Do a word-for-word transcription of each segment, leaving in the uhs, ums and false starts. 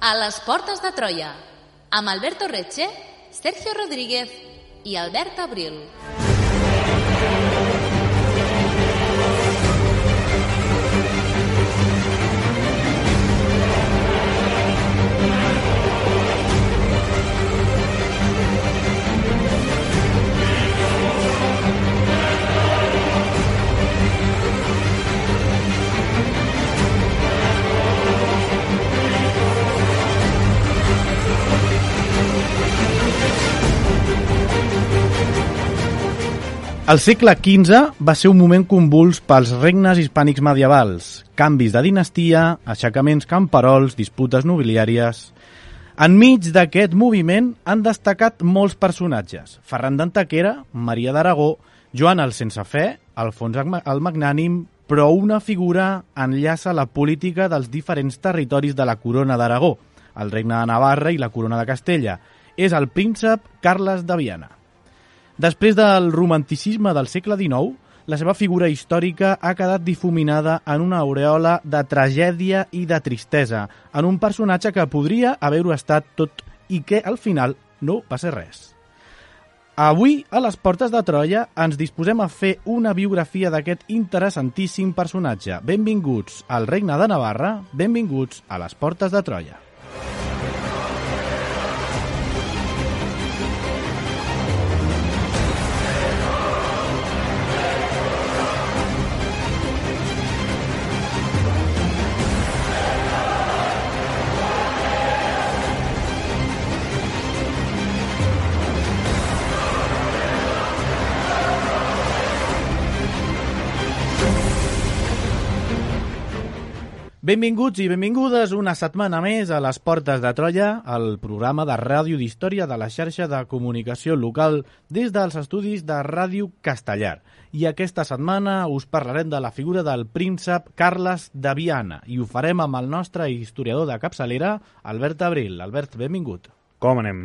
A les portes de Troia, amb Alberto Reche, Sergio Rodríguez i Albert Abril. El segle quinze va ser un moment convuls pels regnes hispànics medievals, canvis de dinastia, aixecaments camperols, disputes nobiliàries. Enmig d'aquest moviment han destacat molts personatges: Ferran d'Antequera, Maria d'Aragó, Joan el Sense Fe, Alfons el Magnànim, però una figura enllaça la política dels diferents territoris de la Corona d'Aragó, el Regne de Navarra i la Corona de Castella. És el príncep Carles de Viana. Després del romanticisme del segle dinou, la seva figura històrica ha quedat difuminada en una aureola de tragèdia i de tristesa, en un personatge que podria haver-ho estat tot i que al final no va ser res. Avui, a les portes de Troia, ens disposem a fer una biografia d'aquest interessantíssim personatge. Benvinguts al Regne de Navarra, benvinguts a les portes de Troia. Benvinguts i benvingudes una setmana més a les Portes de Troia, el programa de ràdio d'història de la xarxa de comunicació local des dels estudis de Ràdio Castellar. I aquesta setmana us parlarem de la figura del príncep Carles de Viana i ho farem amb el nostre historiador de capçalera, Albert Abril. Albert, benvingut. Com anem?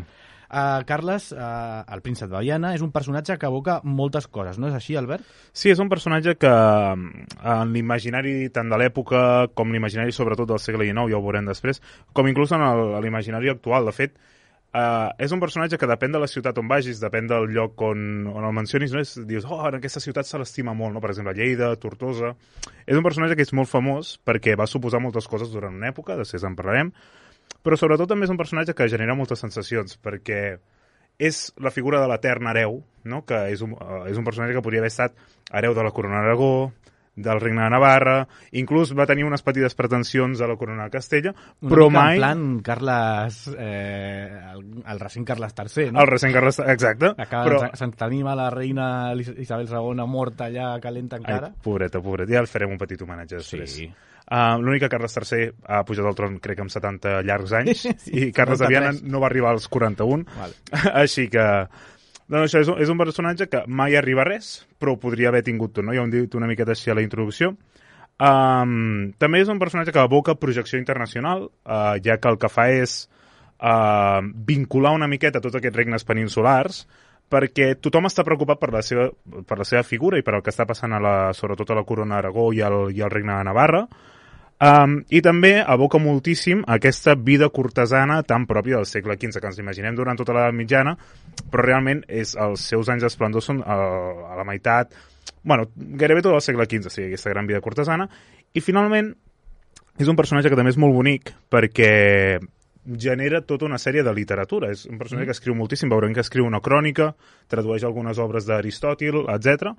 Uh, Carles, uh, el príncep de Viana, és un personatge que evoca moltes coses, no és així, Albert? Sí, és un personatge que en l'imaginari tant de l'època com l'imaginari sobretot del segle dinou, ja ho veurem després, com inclús en l'imaginari actual. De fet, uh, és un personatge que depèn de la ciutat on vagis, depèn del lloc on, on el mencionis, no? És, dius, oh, en aquesta ciutat se l'estima molt, no? Per exemple, Lleida, Tortosa. És un personatge que és molt famós perquè va suposar moltes coses durant una època, després en parlarem, però sobretot també és un personatge que genera moltes sensacions, perquè és la figura de l'etern hereu, no? Que és un, uh, és un personatge que podria haver estat hereu de la Corona d'Aragó, del Regne de Navarra, inclús va tenir unes petites pretensions a la Corona de Castella, una però mica mai... en plan Carles... Eh, el, el recent Carles tercer, no? El recent Carles... Exacte. Acaba però... se'n tenim a la reina Isabel segona morta allà calenta encara. Ai, pobreta, pobreta. Ja el farem un petit homenatge després. Sí. Uh, L'únic que Carles tercer ha pujat al tron, crec que amb setanta llargs anys, sí, i Carles de Viana no va arribar als quaranta-un, vale. Així que... Doncs això és un, és un personatge que mai arriba a res, però podria haver tingut tot, no? Ja ho hem dit una miqueta així a la introducció. Um, també és un personatge que evoca projecció internacional, uh, ja que el que fa és uh, vincular una miqueta tots aquests regnes peninsulars, perquè tothom està preocupat per la seva, per la seva figura i per el que està passant a la, sobretot a la Corona d'Aragó i al, i al Regne de Navarra. Um, I també evoca moltíssim aquesta vida cortesana tan pròpia del segle quinze, que ens imaginem durant tota l'edat mitjana, però realment és, els seus anys d'esplendor són a, a la meitat, bueno, gairebé tot el segle quinze, o sigui, aquesta gran vida cortesana. I finalment és un personatge que també és molt bonic perquè genera tota una sèrie de literatura. És un personatge mm. que escriu moltíssim, veurem que escriu una crònica, tradueix algunes obres d'Aristòtil, etcètera.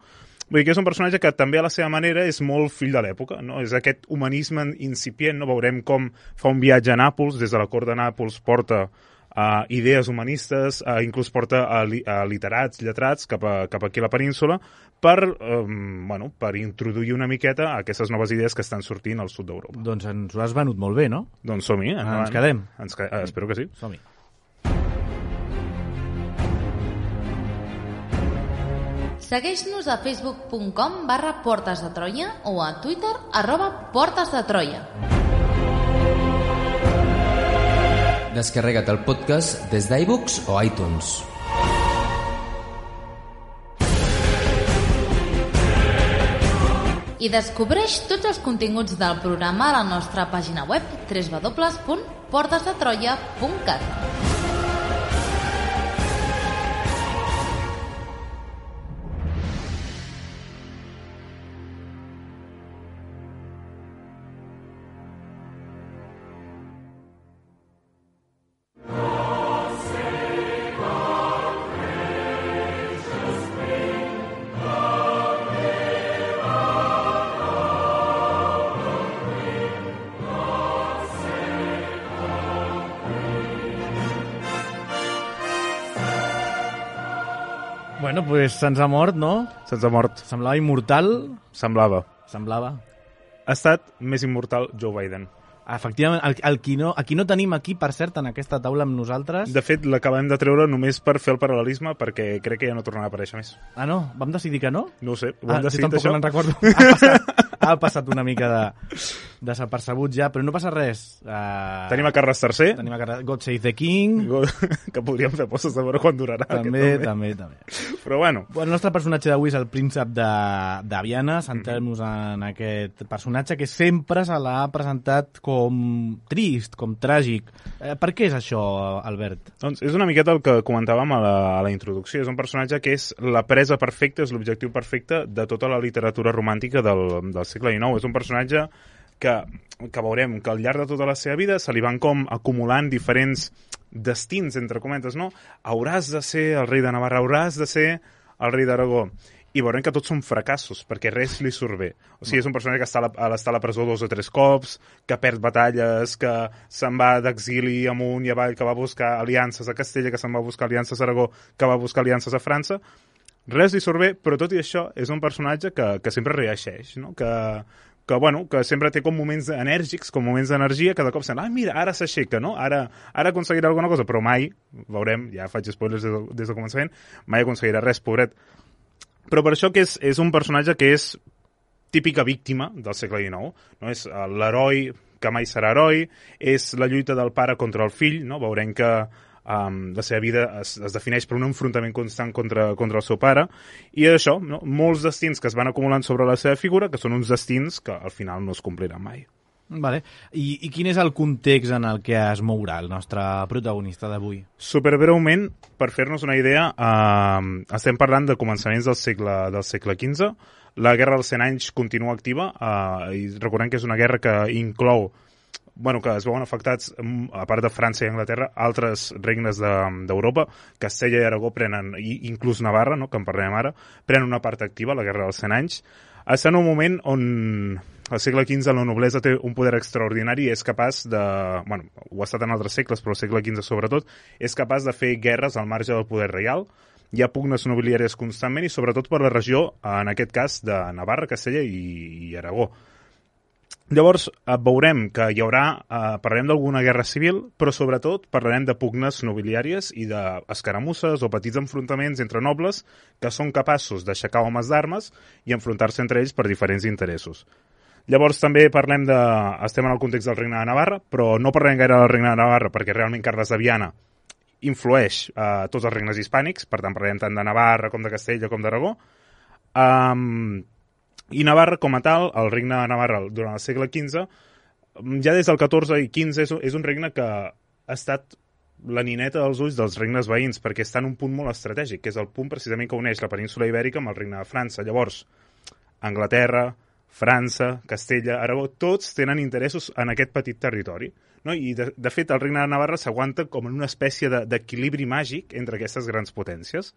Vull dir que és un personatge que també a la seva manera és molt fill de l'època, no? És aquest humanisme incipient, no? Veurem com fa un viatge a Nàpols, des de la cort de Nàpols porta uh, idees humanistes, uh, inclús porta a, li, a literats, lletrats cap, a, cap aquí a la península per, um, bueno, per introduir una miqueta a aquestes noves idees que estan sortint al sud d'Europa. Doncs ens ho has venut molt bé, no? Doncs som-hi. Ah, ens quedem. Ens ca... uh, espero que sí. Som-hi. Segueix-nos a facebook punt com barra Portes de Troia o a Twitter arroba Portes de Troia. Descarrega't el podcast des d'iVoox o iTunes. I descobreix tots els continguts del programa a la nostra pàgina web w w w punt portes de troia punt cat. Bueno, pues se'ns ha mort, no? Se'ns ha mort. Semblava immortal. Semblava. Semblava. Ha estat més immortal Joe Biden. Efectivament, el, el, qui no, el qui no tenim aquí, per cert, en aquesta taula amb nosaltres... De fet, l'acabem de treure només per fer el paral·lelisme, perquè crec que ja no tornarà a aparèixer més. Ah, no? Vam decidir que no? No ho sé, ho ah, hem decidit, això? això? Jo tampoc me'n recordo. Ha passat, ha passat una mica de desapercebut ja, però no passa res. Uh, Tenim a Carles tercer. Tenim a Carles... God Save the King. Que podríem fer postes de veure quan durarà. També, aquest, també, també, també. Però bueno. bueno. El nostre personatge d'avui és el príncep de, de Viana. Centrem-nos en aquest personatge que sempre se l'ha presentat com trist, com tràgic. Eh, per què és això, Albert? Doncs és una miqueta el que comentàvem a la, a la introducció. És un personatge que és la presa perfecta, és l'objectiu perfecte de tota la literatura romàntica del, del segle dinou. És un personatge que, que veurem que al llarg de tota la seva vida se li van com acumulant diferents destins, entre cometes, no? Hauràs de ser el rei de Navarra, hauràs de ser el rei d'Aragó. I veurem que tots són fracassos, perquè res li surt bé. O sigui, és un personatge que està a la, està a la presó dos o tres cops, que perd batalles, que se'n va d'exili amunt i avall, que va buscar aliances a Castella, que se'n va buscar aliances a Aragó, que va buscar aliances a França. Res li surt bé, però tot i això és un personatge que, que sempre reeixeix, no? Que, que, bueno, que sempre té com moments enèrgics, com moments d'energia, que de cop sent, ah, mira, ara s'aixeca, no? Ara, ara aconseguirà alguna cosa, però mai, veurem, ja faig spoilers des, de, des del començament, mai aconseguirà res, pobret. Però per això que és, és un personatge que és típica víctima del segle dinou, no? És l'heroi que mai serà heroi, és la lluita del pare contra el fill, no? Veurem que um, la seva vida es, es defineix per un enfrontament constant contra, contra el seu pare, i això, no? Molts destins que es van acumulant sobre la seva figura, que són uns destins que al final no es compliran mai. Vale. I, I quin és el context en el que es mourà el nostre protagonista d'avui? Superbreument, per fer-nos una idea, eh, estem parlant de començaments del segle, del segle quinze. La Guerra dels cent anys continua activa, eh, i recordem que és una guerra que inclou, bueno, que es veuen afectats, a part de França i Anglaterra, altres regnes d'Europa. De, Castella i Aragó prenen, i inclús Navarra, no, que en parlem ara, prenen una part activa, la Guerra dels cent anys. Està en un moment on al segle quinze la noblesa té un poder extraordinari i és capaç de... Bueno, ho ha estat en altres segles, però al segle quinze sobretot, és capaç de fer guerres al marge del poder reial. Hi ha pugnes nobiliàries constantment i sobretot per la regió, en aquest cas, de Navarra, Castella i, i Aragó. Llavors, veurem que hi haurà... Eh, parlarem d'alguna guerra civil, però sobretot parlarem de pugnes nobiliàries i d'escaramusses o petits enfrontaments entre nobles que són capaços d'aixecar homes d'armes i enfrontar-se entre ells per diferents interessos. Llavors també parlem de... Estem en el context del Regne de Navarra, però no parlem gaire del Regne de Navarra perquè realment Carles de Viana influeix a eh, tots els regnes hispànics, per tant parlem tant de Navarra com de Castella com d'Aragó. Um, I Navarra com a tal, el Regne de Navarra durant el segle quinze, ja des del catorze i quinze és, és un regne que ha estat la nineta dels ulls dels regnes veïns perquè està en un punt molt estratègic, que és el punt precisament que uneix la península ibèrica amb el Regne de França. Llavors, Anglaterra, França, Castella, Aragó, tots tenen interessos en aquest petit territori. No? I, de, de fet, el Regne de Navarra s'aguanta com en una espècie d'equilibri màgic entre aquestes grans potències.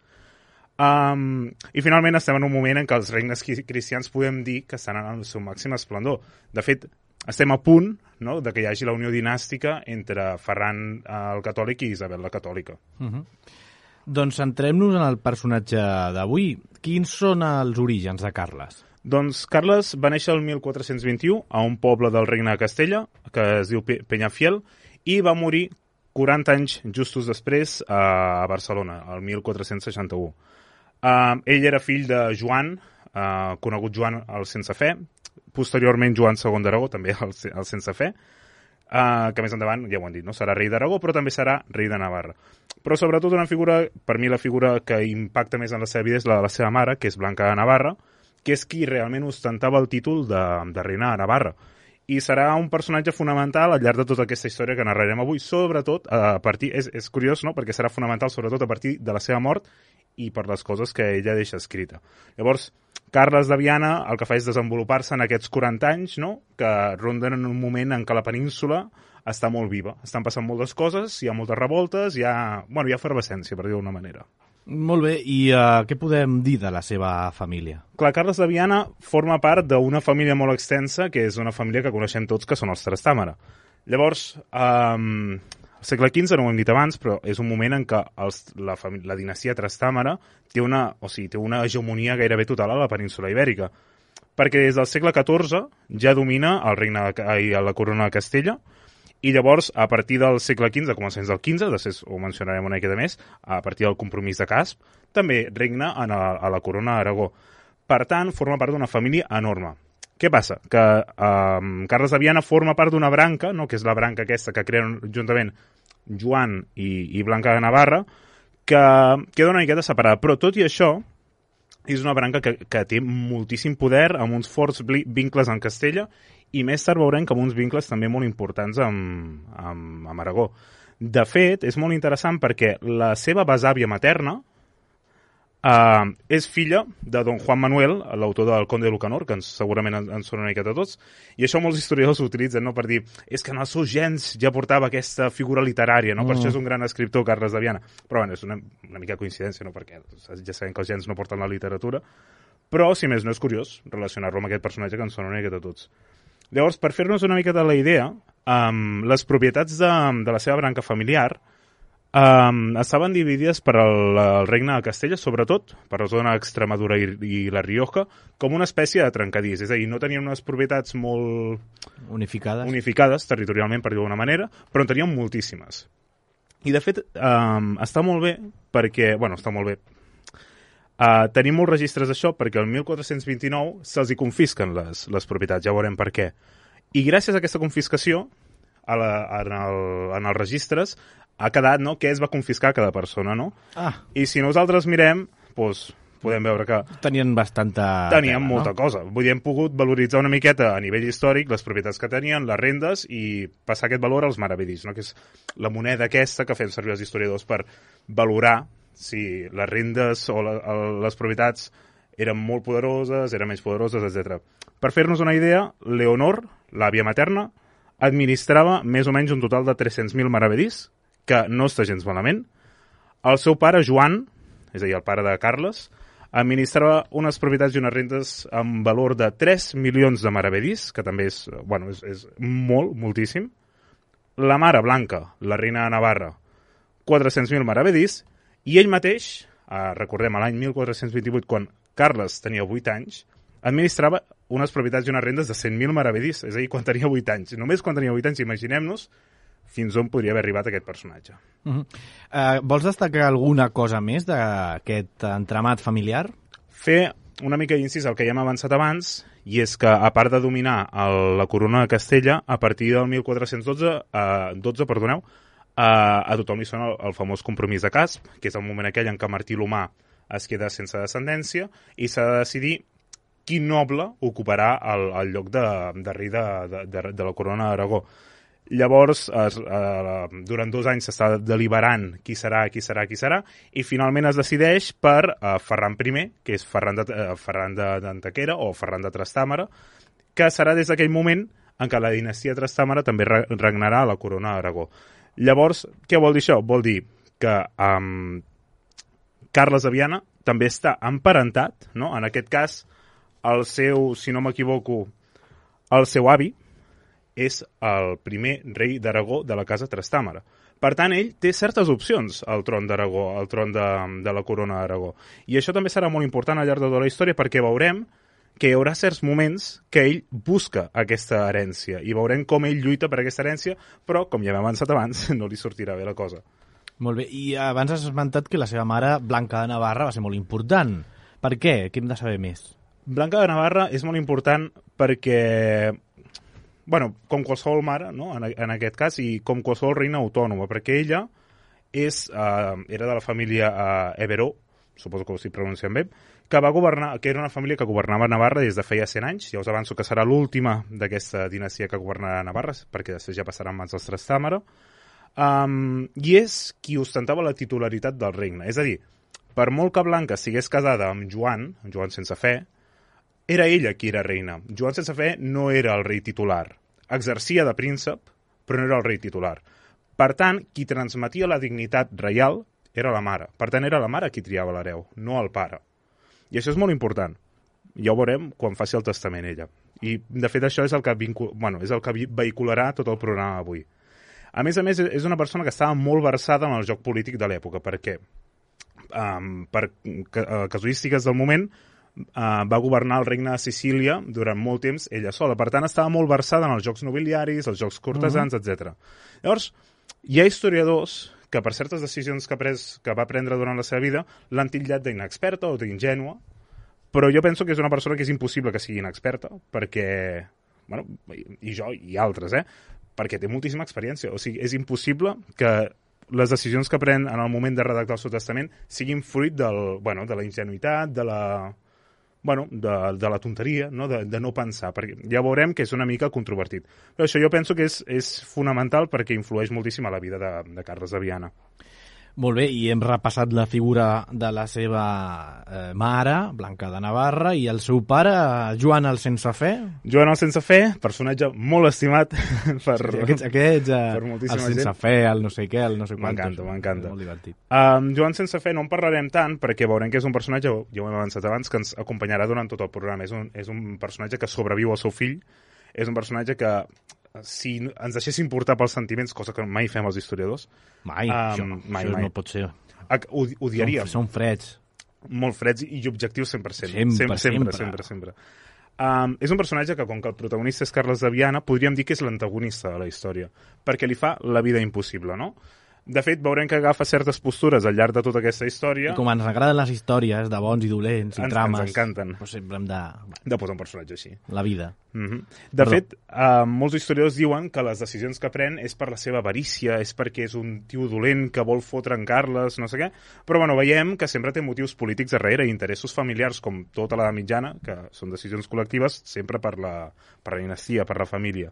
Um, I, finalment, estem en un moment en què els regnes cristians podem dir que estan en el seu màxim esplendor. De fet, estem a punt, no?, de que hi hagi la unió dinàstica entre Ferran el catòlic i Isabel la catòlica. Uh -huh. Doncs centrem-nos en el personatge d'avui. Quins són els orígens de Carles? Doncs Carles va néixer el mil quatre-cents vint-i-u a un poble del Regne de Castella, que es diu Peñafiel, i va morir quaranta anys justos després a Barcelona, el mil quatre-cents seixanta-u. Uh, ell era fill de Joan, uh, conegut Joan el Sense Fe, posteriorment Joan segon d'Aragó, també el, el Sense Fe, Uh, que més endavant, ja ho han dit, no? Serà rei d'Aragó, però també serà rei de Navarra. Però sobretot una figura, per mi la figura que impacta més en la seva vida és la de la seva mare, que és Blanca de Navarra, que és qui realment ostentava el títol de, de reina de Navarra. I serà un personatge fonamental al llarg de tota aquesta història que narrarem avui, sobretot a partir... És, és curiós, no?, perquè serà fonamental sobretot a partir de la seva mort i per les coses que ella deixa escrita. Llavors, Carles de Viana el que fa és desenvolupar-se en aquests quaranta anys, no?, que ronden en un moment en què la península està molt viva. Estan passant moltes coses, hi ha moltes revoltes, hi ha, bueno, hi ha efervescència, per dir-ho d'una manera. Molt bé, i uh, què podem dir de la seva família? Clar, Carles de Viana forma part d'una família molt extensa, que és una família que coneixem tots, que són els Trastàmara. Llavors, um, al segle quinze, no ho hem dit abans, però és un moment en què els, la, la dinastia Trastàmara té una, o sigui, té una hegemonia gairebé total a la península ibèrica, perquè des del segle catorze ja domina el regne de, i la corona de Castella, i llavors, a partir del segle quinze, a començaments del quinze, després ho mencionarem una miqueta més, a partir del compromís de Casp, també regna en a, a la corona d'Aragó. Per tant, forma part d'una família enorme. Què passa? Que eh, Carles de Viana forma part d'una branca, no?, que és la branca aquesta que creen juntament Joan i, i Blanca de Navarra, que queda una miqueta separada. Però tot i això, és una branca que, que té moltíssim poder, amb uns forts vincles en Castella, i més tard veurem que amb uns vincles també molt importants amb, amb, amb Aragó. De fet, és molt interessant perquè la seva besàvia materna eh, és filla de don Juan Manuel, l'autor del Conde de Lucanor, que ens, segurament ens, ens sona una miqueta a tots, i això molts historiadors ho utilitzen, no?, per dir, és que en els seus gens ja portava aquesta figura literària, no? Mm. Per això és un gran escriptor, Carles de Viana. Però bueno, és una, una mica coincidència, no?, perquè ja sabem que els gens no porten la literatura, però, si més no, és curiós relacionar-lo amb aquest personatge que ens sona una miqueta a tots. Llavors, per fer-nos una miqueta la idea, um, les propietats de, de la seva branca familiar um, estaven dividides per el, el regne de Castella, sobretot per la zona d'Extremadura i, i la Rioja, com una espècie de trencadís. És a dir, no tenien unes propietats molt unificades, unificades territorialment, per dir-ho d'una manera, però en tenien moltíssimes. I, de fet, um, està molt bé perquè... Bueno, està molt bé. Uh, tenim molts registres d'això perquè el mil quatre-cents vint-i-nou se'ls hi confisquen les, les propietats, ja veurem per què. I gràcies a aquesta confiscació, a la, en, el, en els registres, ha quedat, no?, què es va confiscar a cada persona, no? Ah. I si nosaltres mirem, doncs, podem veure que... Tenien bastanta... Tenien tela, molta no? cosa. Vull dir, hem pogut valoritzar una miqueta a nivell històric les propietats que tenien, les rendes, i passar aquest valor als maravedís, no?, que és la moneda aquesta que fem servir els historiadors per valorar si les rendes o la, les propietats eren molt poderoses, eren menys poderoses, etcètera. Per fer-nos una idea, Leonor, l'àvia materna, administrava més o menys un total de tres-cents mil maravedís, que no està gens malament. El seu pare, Joan, és a dir, el pare de Carles, administrava unes propietats i unes rendes amb valor de tres milions de maravedís, que també és, bueno, és, és molt, moltíssim. La mare, Blanca, la reina de Navarra, quatre-cents mil maravedís, i ell mateix, eh, recordem, a l'any mil quatre-cents vint-i-vuit, quan Carles tenia vuit anys, administrava unes propietats i unes rendes de cent mil maravedís, és a dir, quan tenia vuit anys. Només quan tenia vuit anys, imaginem-nos fins on podria haver arribat aquest personatge. Uh -huh. uh, vols destacar alguna cosa més d'aquest entramat familiar? Fer una mica d'incís al que ja hem avançat abans, i és que, a part de dominar el, la corona de Castella, a partir del mil quatre-cents dotze, eh, dotze, perdoneu, Uh, a tothom li sona el, el famós compromís de Casp, que és el moment aquell en què Martí l'Humà es queda sense descendència i s'ha de decidir quin noble ocuparà el, el lloc de, de rei de, de, de, de la corona d'Aragó. Llavors, es, uh, durant dos anys s'està deliberant qui serà, qui serà, qui serà, i finalment es decideix per uh, Ferran primer, que és Ferran de, uh, Ferran d'Antequera o Ferran de Trastàmara, que serà des d'aquell moment en què la dinastia Trastàmara també regnarà a la corona d'Aragó. Llavors, què vol dir això? Vol dir que um, Carles de Viana també està emparentat, no? En aquest cas, el seu, si no m'equivoco, el seu avi és el primer rei d'Aragó de la casa Trastàmara. Per tant, ell té certes opcions al tron d'Aragó, al tron de, de la corona d'Aragó. I això també serà molt important al llarg de tota la història perquè veurem que hi haurà certs moments que ell busca aquesta herència i veurem com ell lluita per aquesta herència, però, com ja hem avançat abans, no li sortirà bé la cosa. Molt bé, i abans has esmentat que la seva mare, Blanca de Navarra, va ser molt important. Per què? Què hem de saber més? Blanca de Navarra és molt important perquè bueno, com qualsevol mare, no? en, en aquest cas, i com qualsevol reina autònoma, perquè ella és, uh, era de la família uh, Everó, suposo que ho estic pronunciant bé, que va governar, que era una família que governava Navarra des de feia cent anys. Ja us avanço que serà l'última d'aquesta dinastia que governarà Navarra, perquè després ja passarà en mans dels Trastàmara. Um, I és qui ostentava la titularitat del regne. És a dir, per molt que Blanca estigués casada amb Joan, amb Joan sense fe, era ella qui era reina. Joan sense fe no era el rei titular. Exercia de príncep, però no era el rei titular. Per tant, qui transmetia la dignitat reial era la mare. Per tant, era la mare qui triava l'hereu, no el pare. I això és molt important. Ja ho veurem quan faci el testament ella. I, de fet, això és el que, vincul... bueno, és el que vehicularà tot el programa avui. A més a més, és una persona que estava molt versada en el joc polític de l'època, perquè, um, per casuístiques del moment, uh, va governar el regne de Sicília durant molt temps ella sola. Per tant, estava molt versada en els jocs nobiliaris, els jocs cortesans, uh-huh. etcètera. Llavors, hi ha historiadors que per certes decisions que, pres, que va prendre durant la seva vida l'han titllat d'inexperta o d'ingènua, però jo penso que és una persona que és impossible que sigui inexperta, perquè, bueno, i jo i altres, eh, perquè té moltíssima experiència. O sigui, és impossible que les decisions que pren en el moment de redactar el seu testament siguin fruit del, bueno, de la ingenuïtat, de la... bueno, de, de la tonteria, no? De, de no pensar, perquè ja veurem que és una mica controvertit. Però això jo penso que és, és fonamental perquè influeix moltíssim a la vida de, de Carles de Viana. Molt bé, i hem repassat la figura de la seva eh, mare, Blanca de Navarra, i el seu pare, Joan el Sense Fe. Joan el Sense Fe, personatge molt estimat per, sí, aquests, aquests uh, per moltíssima el Sense gent. Fe, el no sé què, el no sé quantos. M'encanta, m'encanta. Molt divertit. Um, Joan Sense Fe no en parlarem tant perquè veurem que és un personatge, ja ho hem avançat abans, que ens acompanyarà durant tot el programa. És un, és un personatge que sobreviu al seu fill, és un personatge que si ens deixéssim portar pels sentiments, cosa que mai fem els historiadors... Mai, um, això, mai, això mai. No pot ser. Odiaríem. Són, són freds. Molt freds i objectius cent per cent. Sempre, sempre. sempre, sempre. Um, és un personatge que, com que el protagonista és Carles de Viana, podríem dir que és l'antagonista de la història, perquè li fa la vida impossible, no? De fet, veurem que agafa certes postures al llarg de tota aquesta història. I com ens agraden les històries de bons i dolents i ens, trames... Ens encanten. Doncs sempre hem de... De posar un personatge així. La vida. Mm-hmm. De Perdó. fet, uh, molts historiadors diuen que les decisions que pren és per la seva avarícia, és perquè és un tio dolent que vol fotre en Carles, no sé què, però bueno, veiem que sempre té motius polítics darrere i interessos familiars, com tota la mitjana, que són decisions col·lectives, sempre per la, per la dinastia, per la família.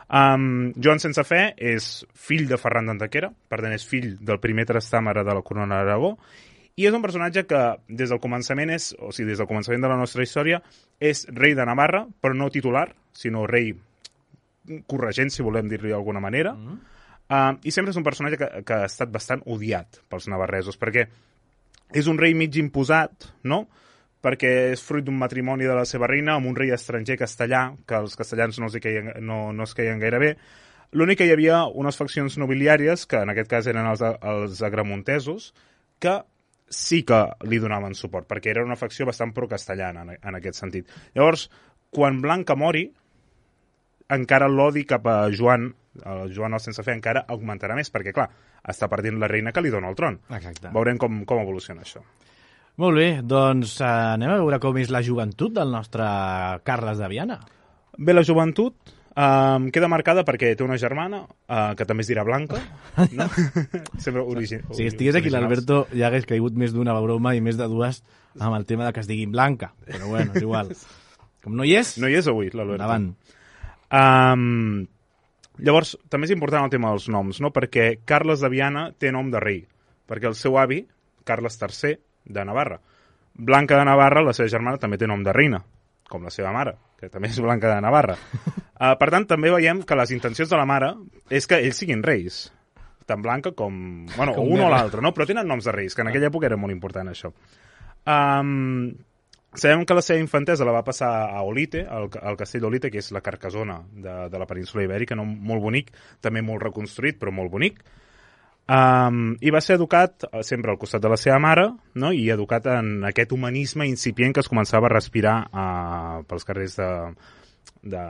Um, Joan Sense Fe és fill de Ferran d'Antequera, per tant és fill del primer Trastàmara de la corona d'Aragó, i és un personatge que des del començament és, o sigui, des del començament de la nostra història, és rei de Navarra, però no titular, sinó rei corregent, si volem dir-li d'alguna manera, mm. uh, i sempre és un personatge que, que ha estat bastant odiat pels navarresos, perquè és un rei mig imposat, no?, perquè és fruit d'un matrimoni de la seva reina amb un rei estranger castellà, que els castellans no es queien, no, no es queien gaire bé. L'únic que hi havia unes faccions nobiliàries, que en aquest cas eren els, els agramontesos, que sí que li donaven suport, perquè era una facció bastant pro-castellana en, en aquest sentit. Llavors, quan Blanca mori, encara l'odi cap a Joan, el Joan el Sense Fe, encara augmentarà més, perquè, clar, està perdent la reina que li dona el tron. Exacte. Veurem com, com evoluciona això. Molt bé, doncs eh, anem a veure com és la joventut del nostre Carles de Viana. Bé, la joventut eh, queda marcada perquè té una germana, eh, que també es dirà Blanca, no? Sempre origi- Si estigués aquí l'Alberto ja hagués caigut més d'una broma i més de dues amb el tema de que es diguin Blanca, però bueno, és igual. Com no hi és... No hi és avui, l'Alberto. Endavant. Um, llavors, també és important el tema dels noms, no? Perquè Carles de Viana té nom de rei, perquè el seu avi, Carles tercer, de Navarra. Blanca de Navarra, la seva germana, també té nom de reina, com la seva mare, que també és Blanca de Navarra. Uh, per tant, també veiem que les intencions de la mare és que ells siguin reis, tant Blanca com... Bueno, com un o l'altre, no? Però tenen noms de reis, que en aquella època era molt important, això. Um, sabem que la seva infantesa la va passar a Olite, al, al castell d'Olite, que és la Carcassona de, de la península ibèrica, no? Molt bonic, també molt reconstruït, però molt bonic. Um, i va ser educat sempre al costat de la seva mare, no? I educat en aquest humanisme incipient que es començava a respirar uh, pels carrers de, de,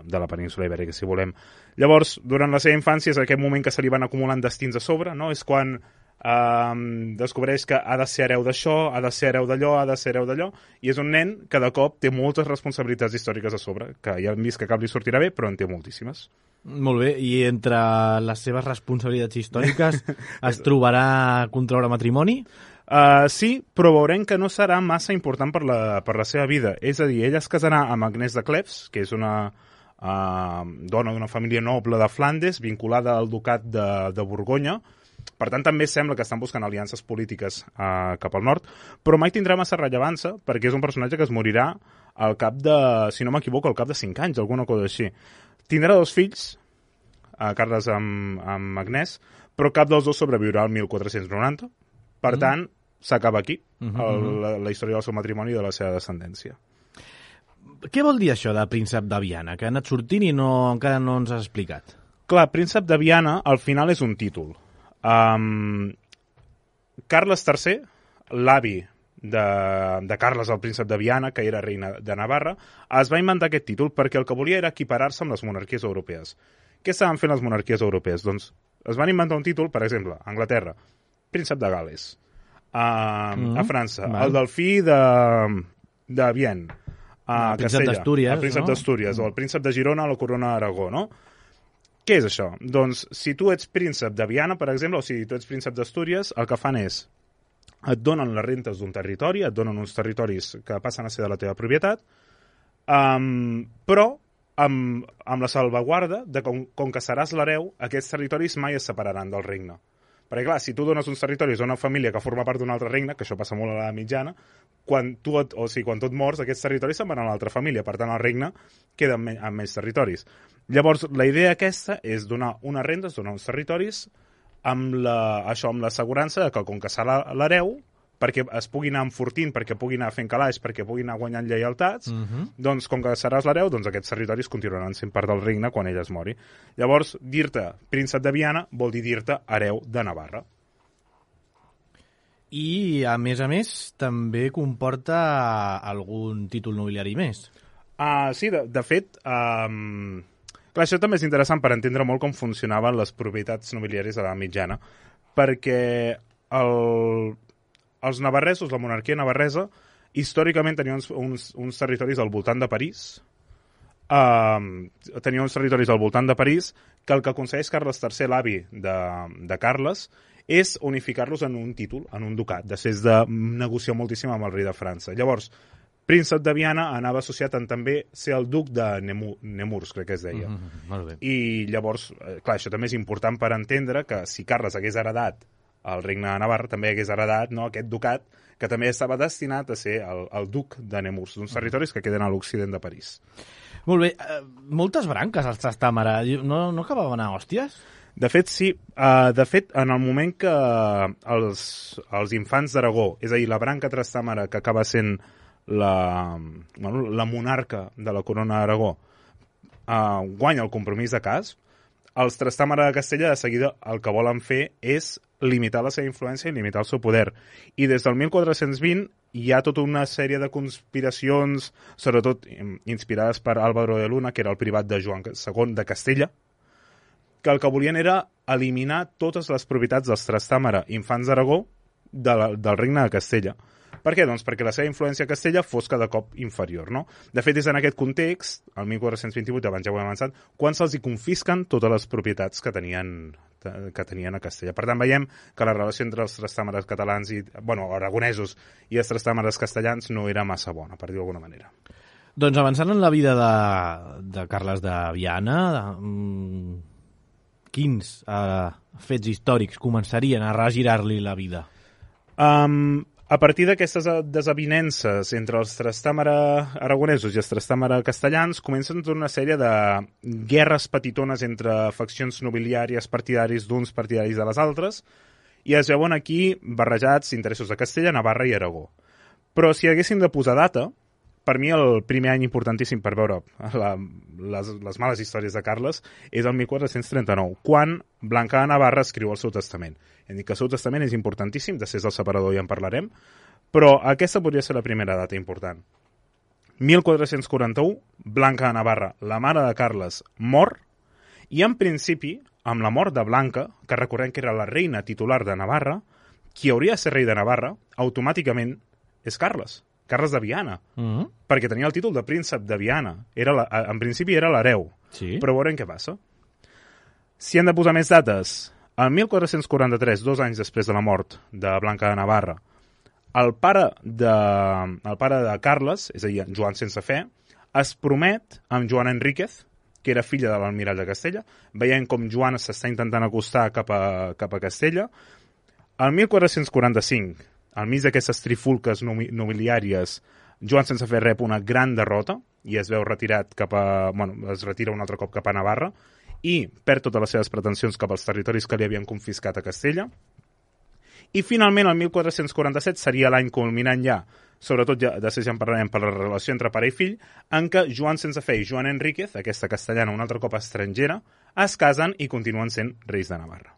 de la península ibèrica, si volem. Llavors, durant la seva infància és aquest moment que se li van acumulant destins a sobre, no? És quan Um, descobreix que ha de ser hereu d'això, ha de ser hereu d'allò, ha de ser hereu d'allò, i és un nen que de cop té moltes responsabilitats històriques a sobre, que ja hem vist que cap li sortirà bé, però en té moltíssimes. Molt bé, i entre les seves responsabilitats històriques es trobarà contraure matrimoni? Uh, sí, però veurem que no serà massa important per la, per la seva vida. És a dir, ella es casarà amb Agnès de Cleves, que és una uh, dona d'una família noble de Flandes, vinculada al ducat de, de Borgonya. Per tant, també sembla que estan buscant aliances polítiques uh, cap al nord, però mai tindrà massa rellevància perquè és un personatge que es morirà al cap de, si no m'equivoco, al cap de cinc anys, alguna cosa així. Tindrà dos fills, uh, Carles amb, amb Agnès, però cap dels dos sobreviurà al mil quatre-cents noranta. Per mm. tant, s'acaba aquí uh -huh, el, la, la història del seu matrimoni i de la seva descendència. Què vol dir això de príncep de Viana? Que ha anat sortint i no, encara no ens has explicat. Clar, príncep de Viana al final és un títol. Um, Carles tercer, l'avi de, de Carles el príncep de Viana, que era reina de Navarra, es va inventar aquest títol perquè el que volia era equiparar-se amb les monarquies europees. Què estaven fent les monarquies europees? Doncs es van inventar un títol, per exemple, a Anglaterra, príncep de Gal·les. Uh, mm-hmm. A França, Val. El delfí de, de Vienne, a el príncep d'Astúries, el príncep no? d'Astúries, o el príncep de Girona a la corona d'Aragó, no? Què és això? Doncs, si tu ets príncep de Viana, per exemple, o si tu ets príncep d'Astúries, el que fan és, et donen les rentes d'un territori, et donen uns territoris que passen a ser de la teva propietat, um, però amb, amb la salvaguarda de com, com que seràs l'hereu, aquests territoris mai es separaran del regne. Perquè, clar, si tu dones uns territoris a una família que forma part d'un altre regne, que això passa molt a la mitjana, quan tu et, o sigui, quan tu et mors, aquests territoris se'n van a una altra família, per tant, el regne queda amb, me, amb més territoris. Llavors, la idea aquesta és donar unes rendes, donar uns territoris, amb la, això, amb l'assegurança que, com que serà l'hereu, perquè es pugui anar enfortint, perquè pugui anar fent calaix, perquè pugui anar guanyant lleialtats, uh-huh. doncs com que seràs l'hereu, doncs aquests territoris continuaran sent part del regne quan ell es mori. Llavors, dir-te príncep de Viana vol dir dir-te hereu de Navarra. I, a més a més, també comporta algun títol nobiliari més. Uh, sí, de, de fet, um, clar, això també és interessant per entendre molt com funcionaven les propietats nobiliàries a la mitjana, perquè el... els navarresos, la monarquia navarresa, històricament tenien uns, uns, uns territoris al voltant de París, uh, tenien uns territoris al voltant de París, que el que aconsegueix Carles tercer, l'avi de, de Carles, és unificar-los en un títol, en un ducat, després de negociar moltíssim amb el rei de França. Llavors, príncep de Viana anava associat en també ser el duc de Nemur, Nemurs, crec que es deia. Mm-hmm, molt bé. I llavors, clar, això també és important per entendre que si Carles hagués heredat el regne de Navarra, també hagués heredat, no, aquest ducat, que també estava destinat a ser el, el duc de Nemurs, d'uns territoris que queden a l'occident de París. Molt bé. Uh, moltes branques als Trastàmara. No, no acabaven a hòsties? De fet, sí. Uh, de fet, en el moment que els, els infants d'Aragó, és a dir, la branca Trastàmara, que acaba sent la, bueno, la monarca de la corona d'Aragó, uh, guanya el compromís de Casp, els Trastàmara de Castella de seguida el que volen fer és limitar la seva influència i limitar el seu poder. I des del mil quatre-cents vint hi ha tota una sèrie de conspiracions, sobretot inspirades per Álvaro de Luna, que era el privat de Joan segon de Castella, que el que volien era eliminar totes les propietats dels Trastàmara infants d'Aragó de la, del regne de Castella. Per què? Doncs perquè la seva influència a Castella fos cada cop inferior, no? De fet, és en aquest context, el mil quatre-cents vint-i-vuit, abans ja ho hem avançat, quan se'ls hi confisquen totes les propietats que tenien, que tenien a Castella. Per tant, veiem que la relació entre els trastàmares catalans i, bueno, aragonesos i els trastàmares castellans no era massa bona, per dir-ho d'alguna manera. Doncs avançant en la vida de, de Carles de Viana, de, quins eh, fets històrics començarien a regirar-li la vida? Um, a partir d'aquestes desavinences entre els trastàmara aragonesos i els trastàmara castellans comencen tota una sèrie de guerres petitones entre faccions nobiliàries partidaris d'uns partidaris de les altres i es veuen aquí barrejats interessos de Castella, Navarra i Aragó. Però si haguéssim de posar data, per mi el primer any importantíssim per veure la, les, les males històries de Carles és el mil quatre-cents trenta-nou, quan Blanca de Navarra escriu el seu testament. Hem dit que el seu testament és importantíssim, després del separador ja en parlarem, però aquesta podria ser la primera data important. mil quatre-cents quaranta-u, Blanca de Navarra, la mare de Carles, mor, i en principi amb la mort de Blanca, que recordem que era la reina titular de Navarra, qui hauria de ser rei de Navarra, automàticament és Carles, Carles de Viana, Mm-hmm. perquè tenia el títol de príncep de Viana. Era la, en principi era l'hereu, Sí. però veurem què passa. Si hem de posar més dates, el mil quatre-cents quaranta-tres, dos anys després de la mort de Blanca de Navarra, el pare de, el pare de Carles, és a dir, Joan sense fe, es promet amb Joana Enríquez, que era filla de l'almirall de Castella, veient com Joana s'està intentant acostar cap a, cap a Castella. El mil quatre-cents quaranta-cinc, al mig d'aquestes trifulques nobiliàries, Joan sense fe rep una gran derrota i es veu retirat cap a... Bueno, es retira un altre cop cap a Navarra i perd totes les seves pretensions cap als territoris que li havien confiscat a Castella. I finalment, el mil quatre-cents quaranta-set seria l'any culminant ja, sobretot ja, de ja en parlarem per la relació entre pare i fill, en què Joan sense fe i Joan Enríquez, aquesta castellana un altre cop estrangera, es casen i continuen sent reis de Navarra.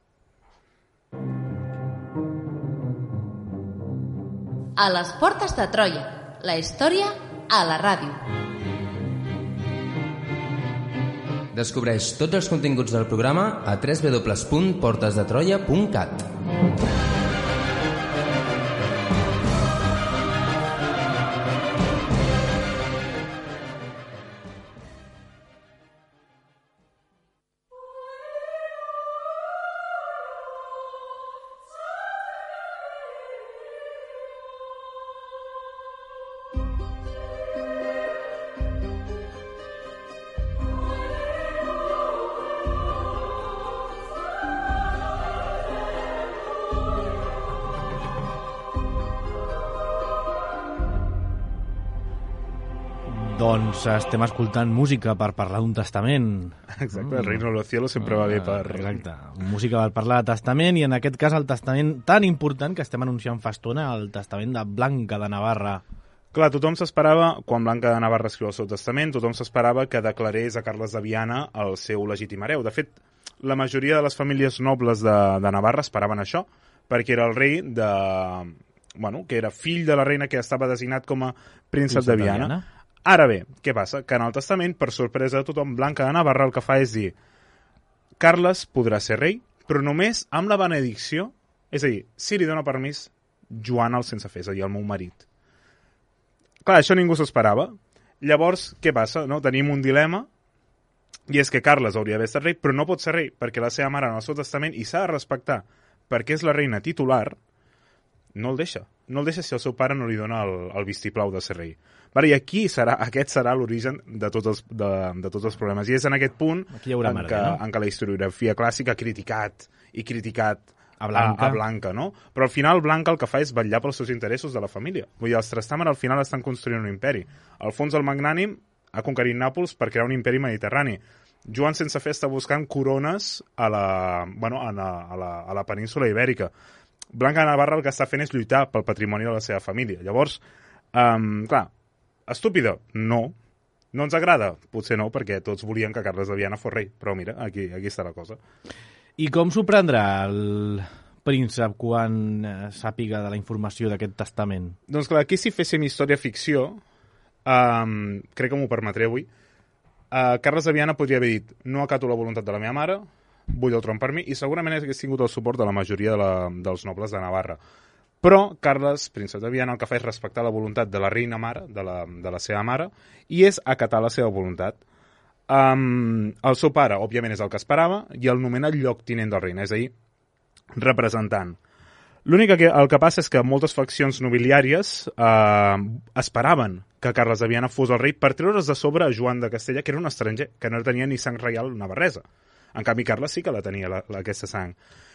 A les portes de Troia, la història a la ràdio. Descobreix tots els continguts del programa a w w w punt portes de troia punt cat. Doncs estem escoltant música per parlar d'un testament. Exacte, el reino de los cielos sempre va bé per... Exacte, música per parlar de testament, i en aquest cas el testament tan important que estem anunciant fa estona, el testament de Blanca de Navarra. Clar, tothom s'esperava, quan Blanca de Navarra escriu el seu testament, tothom s'esperava que declarés a Carles de Viana el seu legítim hereu. De fet, la majoria de les famílies nobles de, de Navarra esperaven això, perquè era el rei de... Bueno, que era fill de la reina que estava designat com a príncep de Viana. De Viana. Ara bé, què passa? Que en el testament, per sorpresa de tothom, Blanca de Navarra el que fa és dir Carles podrà ser rei, però només amb la benedicció, és a dir, si li dona permís Joana el sense fe, és a dir, el meu marit. Clar, això ningú s'esperava. Llavors, què passa? No? Tenim un dilema, i és que Carles hauria d'haver estat rei, però no pot ser rei, perquè la seva mare en el seu testament, i s'ha de respectar, perquè és la reina titular, no el deixa. No el deixa si el seu pare no li dona el, el vistiplau de ser rei. Vale, i aquí serà, aquest serà l'origen de, tots els, de, de tots els problemes. I és en aquest punt en, merda, què, no? en què la historiografia clàssica ha criticat i criticat a Blanca. A, a Blanca, no? Però al final Blanca el que fa és vetllar pels seus interessos de la família. Vull dir, els Trastámara al final estan construint un imperi. Alfons el Magnànim ha conquerit Nàpols per crear un imperi mediterrani. Joan sense fe està buscant corones a la, bueno, a la, a la, a la península ibèrica. Blanca de Navarra el que està fent és lluitar pel patrimoni de la seva família. Llavors, um, clar, estúpida? No. No ens agrada? Potser no, perquè tots volien que Carles de Viana fos rei. Però mira, aquí, aquí està la cosa. I com s'ho prendrà el príncep quan sàpiga de la informació d'aquest testament? Doncs clar, aquí si féssim història-ficció, um, crec que m'ho permetré avui, uh, Carles de Viana podria haver dit no acato la voluntat de la meva mare, vull el tron per mi, i segurament hagués tingut el suport de la majoria de la, dels nobles de Navarra. Però Carles, príncep de Viana, el que fa és respectar la voluntat de la reina mare, de la, de la seva mare, i és acatar la seva voluntat. Um, el seu pare, òbviament, és el que esperava, i el nomena lloctinent del reina, és a dir, representant. L'únic que el que passa és que moltes faccions nobiliàries eh, esperaven que Carles de Viana fos el rei per treure's de sobre a Joan de Castella, que era un estranger, que no tenia ni sang reial navarresa. En canvi, Carles sí que la tenia, la, la, aquesta sang.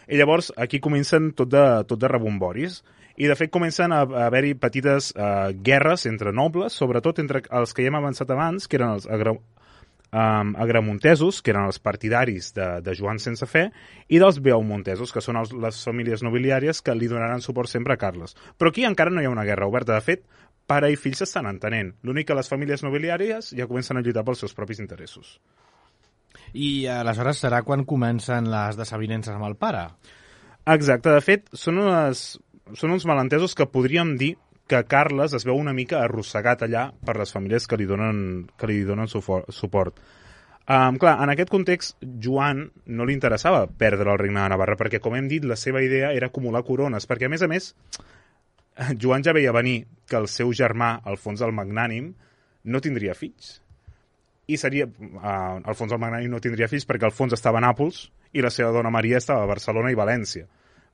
I llavors, aquí comencen tot de, tot de rebomboris, i de fet comencen a, a haver-hi petites eh, guerres entre nobles, sobretot entre els que ja hem avançat abans, que eren els agra, um, agramontesos, que eren els partidaris de, de Joan sense fe, i dels beaumontesos, que són els, les famílies nobiliàries que li donaran suport sempre a Carles. Però aquí encara no hi ha una guerra oberta. De fet, pare i fill s'estan entenent. L'únic que les famílies nobiliàries ja comencen a lluitar pels seus propis interessos. I aleshores serà quan comencen les desavinences amb el pare? Exacte. De fet, són, unes, són uns malentesos que podríem dir que Carles es veu una mica arrossegat allà per les famílies que li donen, que li donen suport. Um, clar, en aquest context, Joan no li interessava perdre el regne de Navarra, perquè, com hem dit, la seva idea era acumular corones, perquè, a més a més, Joan ja veia venir que el seu germà, Alfons el Magnànim, no tindria fills. I seria... Uh, Alfons el Magnànim no tindria fills perquè Alfons estava a Nàpols i la seva dona Maria estava a Barcelona i València.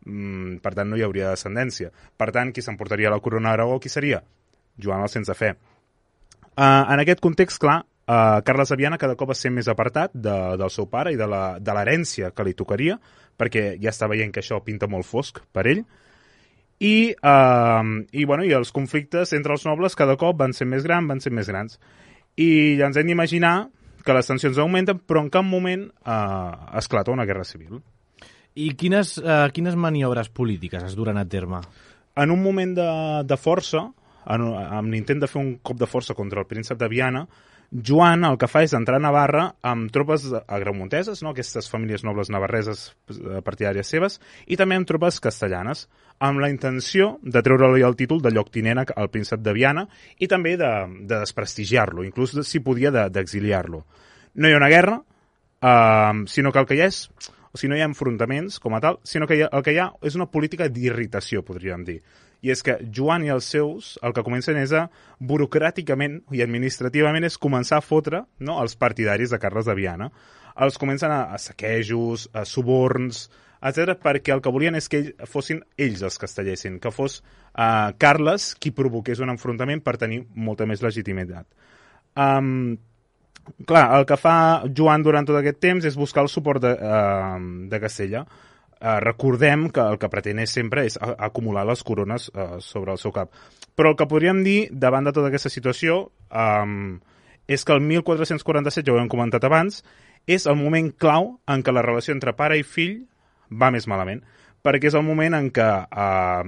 Mm, per tant, no hi hauria descendència. Per tant, qui s'emportaria la corona d'Aragó, qui seria? Joan el Sense Fe. Uh, en aquest context, clar, uh, Carles de Viana cada cop va ser més apartat de, del seu pare i de l'herència que li tocaria, perquè ja està veient que això pinta molt fosc per ell. I, uh, i, bueno, i els conflictes entre els nobles cada cop van ser més grans, van ser més grans. I ja ens hem d'imaginar que les tensions augmenten, però en cap moment eh, esclata una guerra civil. I quines, eh, quines maniobres polítiques es duren a terme? En un moment de, de força, en, amb l'intent de fer un cop de força contra el príncep de Viana, Joan el que fa és entrar a Navarra amb tropes agramonteses, no? Aquestes famílies nobles navarreses partidàries seves, i també amb tropes castellanes, amb la intenció de treure-li el títol de lloctinent al príncep de Viana i també de, de desprestigiar-lo, inclús de, si podia d'exiliar-lo. No hi ha una guerra, eh, sinó que el que hi ha és, o sigui, no hi ha enfrontaments com a tal, sinó que hi ha, el que hi ha és una política d'irritació, podríem dir. I és que Joan i els seus el que comencen és a, burocràticament i administrativament, és començar a fotre, no, els partidaris de Carles de Viana. Els comencen a, a saquejos, a suborns, etcètera, perquè el que volien és que ell, fossin ells els que es tallessin, que fos uh, Carles qui provoqués un enfrontament per tenir molta més legitimitat. Um, clar, el que fa Joan durant tot aquest temps és buscar el suport de, uh, de Castella. Uh, recordem que el que pretén és sempre és acumular les corones uh, sobre el seu cap. Però el que podríem dir davant de tota aquesta situació um, és que el mil quatre-cents quaranta-set, ja ho hem comentat abans, és el moment clau en què la relació entre pare i fill va més malament, perquè és el moment en què uh,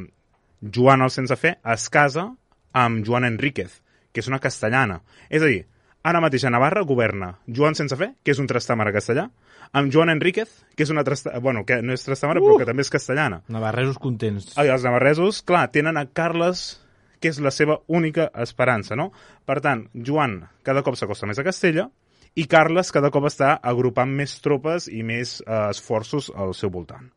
Joan el Sense Fe es casa amb Joana Enríquez, que és una castellana. És a dir, ara mateix a Navarra governa Joan Sense Fe, que és un trastàmara castellà, amb Joana Enríquez, que és una trasta... bueno, que no és trastamara, uh! però que també és castellana. Navarresos contents. Ah, els navarresos, clar, tenen a Carles, que és la seva única esperança, no? Per tant, Joan cada cop s'acosta més a Castella i Carles cada cop està agrupant més tropes i més eh, esforços al seu voltant.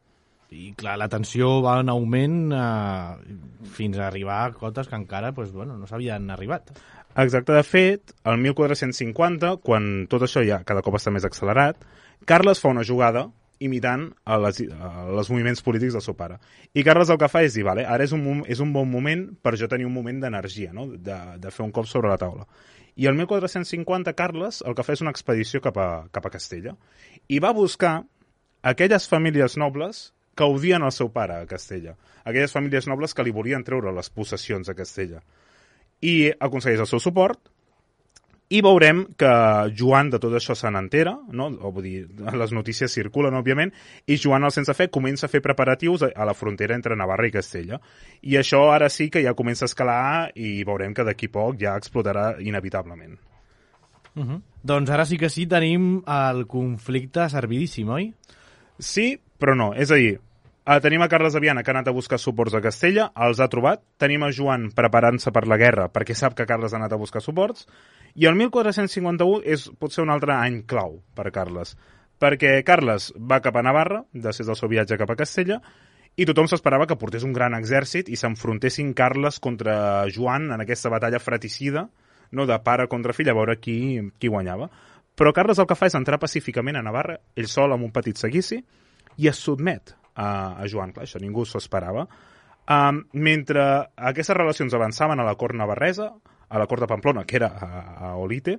I clar, la tensió va en augment eh, fins a arribar a cotes que encara pues, bueno, no s'havien arribat. Exacte, de fet, el mil quatre-cents cinquanta, quan tot això ja cada cop està més accelerat, Carles fa una jugada imitant a les, a les moviments polítics del seu pare. I Carles el que fa és dir, vale, ara és un, és un bon moment per jo tenir un moment d'energia, no? de, de fer un cop sobre la taula. I el mil quatre-cents cinquanta, Carles el que fa és una expedició cap a, cap a Castella. I va buscar aquelles famílies nobles que odien el seu pare a Castella. Aquelles famílies nobles que li volien treure les possessions a Castella. I aconsegueix el seu suport, i veurem que Joan de tot això se n'entera, no? O vull dir, les notícies circulen, òbviament, i Joan el Sense Fe comença a fer preparatius a la frontera entre Navarra i Castella. I això ara sí que ja comença a escalar i veurem que d'aquí poc ja explotarà inevitablement. Uh -huh. Doncs ara sí que sí tenim el conflicte servidíssim, oi? Sí, però no. És a dir, Uh, tenim a Carles de Viana, que ha anat a buscar suports a Castella, els ha trobat. Tenim a Joan preparant-se per la guerra, perquè sap que Carles ha anat a buscar suports. I el mil quatre-cents cinquanta-u és, pot ser un altre any clau per Carles, perquè Carles va cap a Navarra, després del seu viatge cap a Castella, i tothom s'esperava que portés un gran exèrcit i s'enfrontessin Carles contra Joan en aquesta batalla fratricida, no, de pare contra fill, a veure qui, qui guanyava. Però Carles el que fa és entrar pacíficament a Navarra, ell sol amb un petit seguici, i es sotmet a, a Joan. Clar, això ningú s'ho esperava. Um, mentre aquestes relacions avançaven a la cort navarresa, a la cort de Pamplona, que era a, a Olite,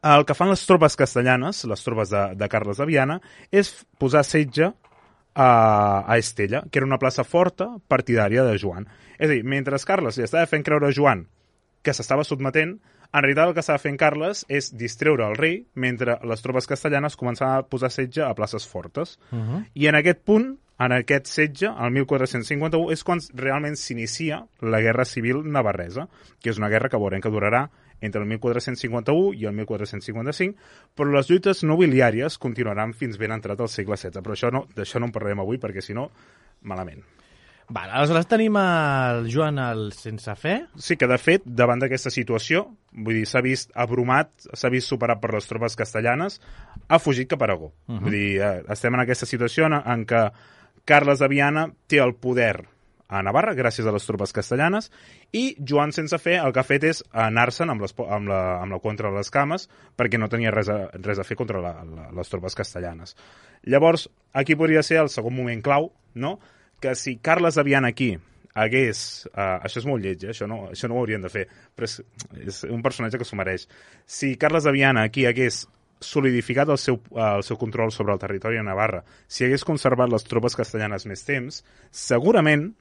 el que fan les tropes castellanes, les tropes de, de Carles de Viana, és posar setge a, a Estella, que era una plaça forta partidària de Joan. És a dir, mentre Carles li estava fent creure a Joan que s'estava sotmetent, en realitat el que estava fent Carles és distreure el rei mentre les tropes castellanes començaven a posar setge a places fortes. Uh -huh. I en aquest punt, en aquest setge, el mil quatre-cents cinquanta-u, és quan realment s'inicia la Guerra Civil Navarresa, que és una guerra que veurem que durarà entre el mil quatre-cents cinquanta-u i el mil quatre-cents cinquanta-cinc, però les lluites nobiliàries continuaran fins ben entrat al segle setze. Però això no, d'això no en parlarem avui, perquè si no, malament. Val, aleshores tenim el Joan el sense fe. Sí, que de fet, davant d'aquesta situació, vull dir, s'ha vist abrumat, s'ha vist superat per les tropes castellanes, ha fugit cap a Aragó. Uh -huh. Vull dir, eh, estem en aquesta situació en, en què Carles de Viana té el poder a Navarra, gràcies a les tropes castellanes, i Joan sense fe el que ha fet és anar-se'n amb, les, amb, la, amb la contra de les cames, perquè no tenia res a, res a fer contra la, la, les tropes castellanes. Llavors, aquí podria ser el segon moment clau, no?, que si Carles de Viana aquí hagués... Uh, això és molt lleig, eh? això, no, això no ho haurien de fer, però és, és un personatge que s'ho mereix. Si Carles de Viana aquí hagués solidificat el seu, uh, el seu control sobre el territori de Navarra, si hagués conservat les tropes castellanes més temps, segurament,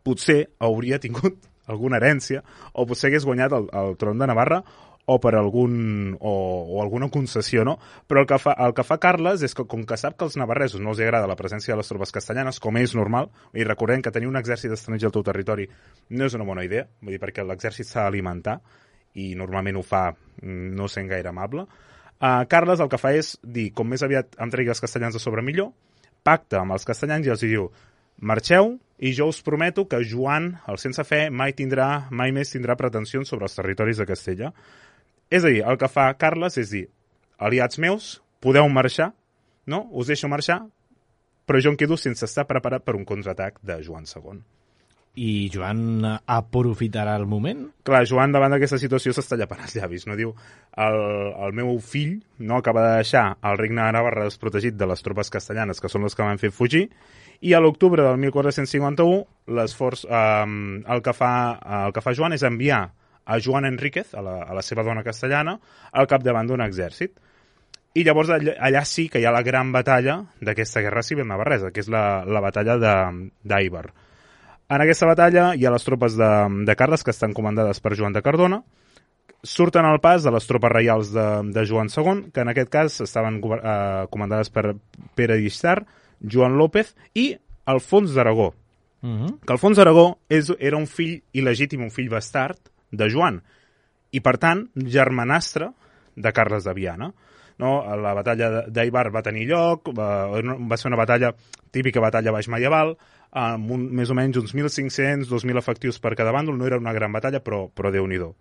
potser hauria tingut alguna herència, o potser hagués guanyat el, el tron de Navarra, o per algun o, o alguna concessió, no? Però el que, fa, el que fa Carles és que, com que sap que als navarresos no els agrada la presència de les tropes castellanes, com és normal, i recordem que tenir un exèrcit estranger al teu territori no és una bona idea, vull dir, perquè l'exèrcit s'ha d'alimentar, i normalment ho fa no sent gaire amable, uh, Carles el que fa és dir, com més aviat em tregui els castellans de sobre millor, pacta amb els castellans i els diu, marxeu, i jo us prometo que Joan, el sense fe, mai tindrà, mai més tindrà pretensions sobre els territoris de Castella. És a dir, el que fa Carles és dir, aliats meus, podeu marxar, no? Us deixo marxar, però jo em quedo sense estar preparat per un contraatac de Joan segon. I Joan aprofitarà el moment? Clar, Joan davant d'aquesta situació s'està llapant els llavis, no? Diu, el, el meu fill no acaba de deixar el regne de Navarra desprotegit de les tropes castellanes, que són les que m'han fet fugir, i a l'octubre del mil quatre-cents cinquanta-u les forces, eh, el, que fa, el que fa Joan és enviar a Joan Enríquez, a la, a la seva dona castellana, al capdavant d'un exèrcit. I llavors allà, allà sí que hi ha la gran batalla d'aquesta guerra civil navarresa, que és la, la batalla d'Àibar. En aquesta batalla hi ha les tropes de, de Carles, que estan comandades per Joan de Cardona, surten al pas de les tropes reials de, de Joan segon, que en aquest cas estaven eh, comandades per Pere d'Istar, Joan López i Alfons d'Aragó. Uh -huh. Que Alfons d'Aragó és, era un fill il·legítim, un fill bastard de Joan, i per tant germanastre de Carles de Viana. No? La batalla d'Àibar va tenir lloc, va, va ser una batalla, típica batalla baix medieval, amb un, més o menys uns mil cinc-cents, dos mil efectius per cada bàndol, no era una gran batalla, però, però Déu-n'hi-do.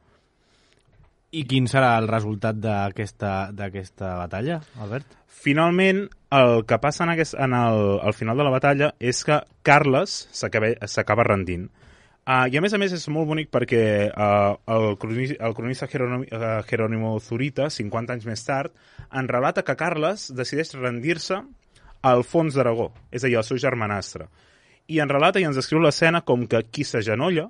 I quin serà el resultat d'aquesta d'aquesta batalla, Albert? Finalment, el que passa en aquest, en el, al final de la batalla és que Carles s'acaba rendint. Uh, I a més a més és molt bonic perquè uh, el, cronista, el cronista Jerónimo, uh, Jerónimo Zurita, cinquanta anys més tard, en relata que Carles decideix rendir-se a Alfons d'Aragó, és a dir, al seu germanastre. I en relata i ens descriu l'escena com que qui s'agenolla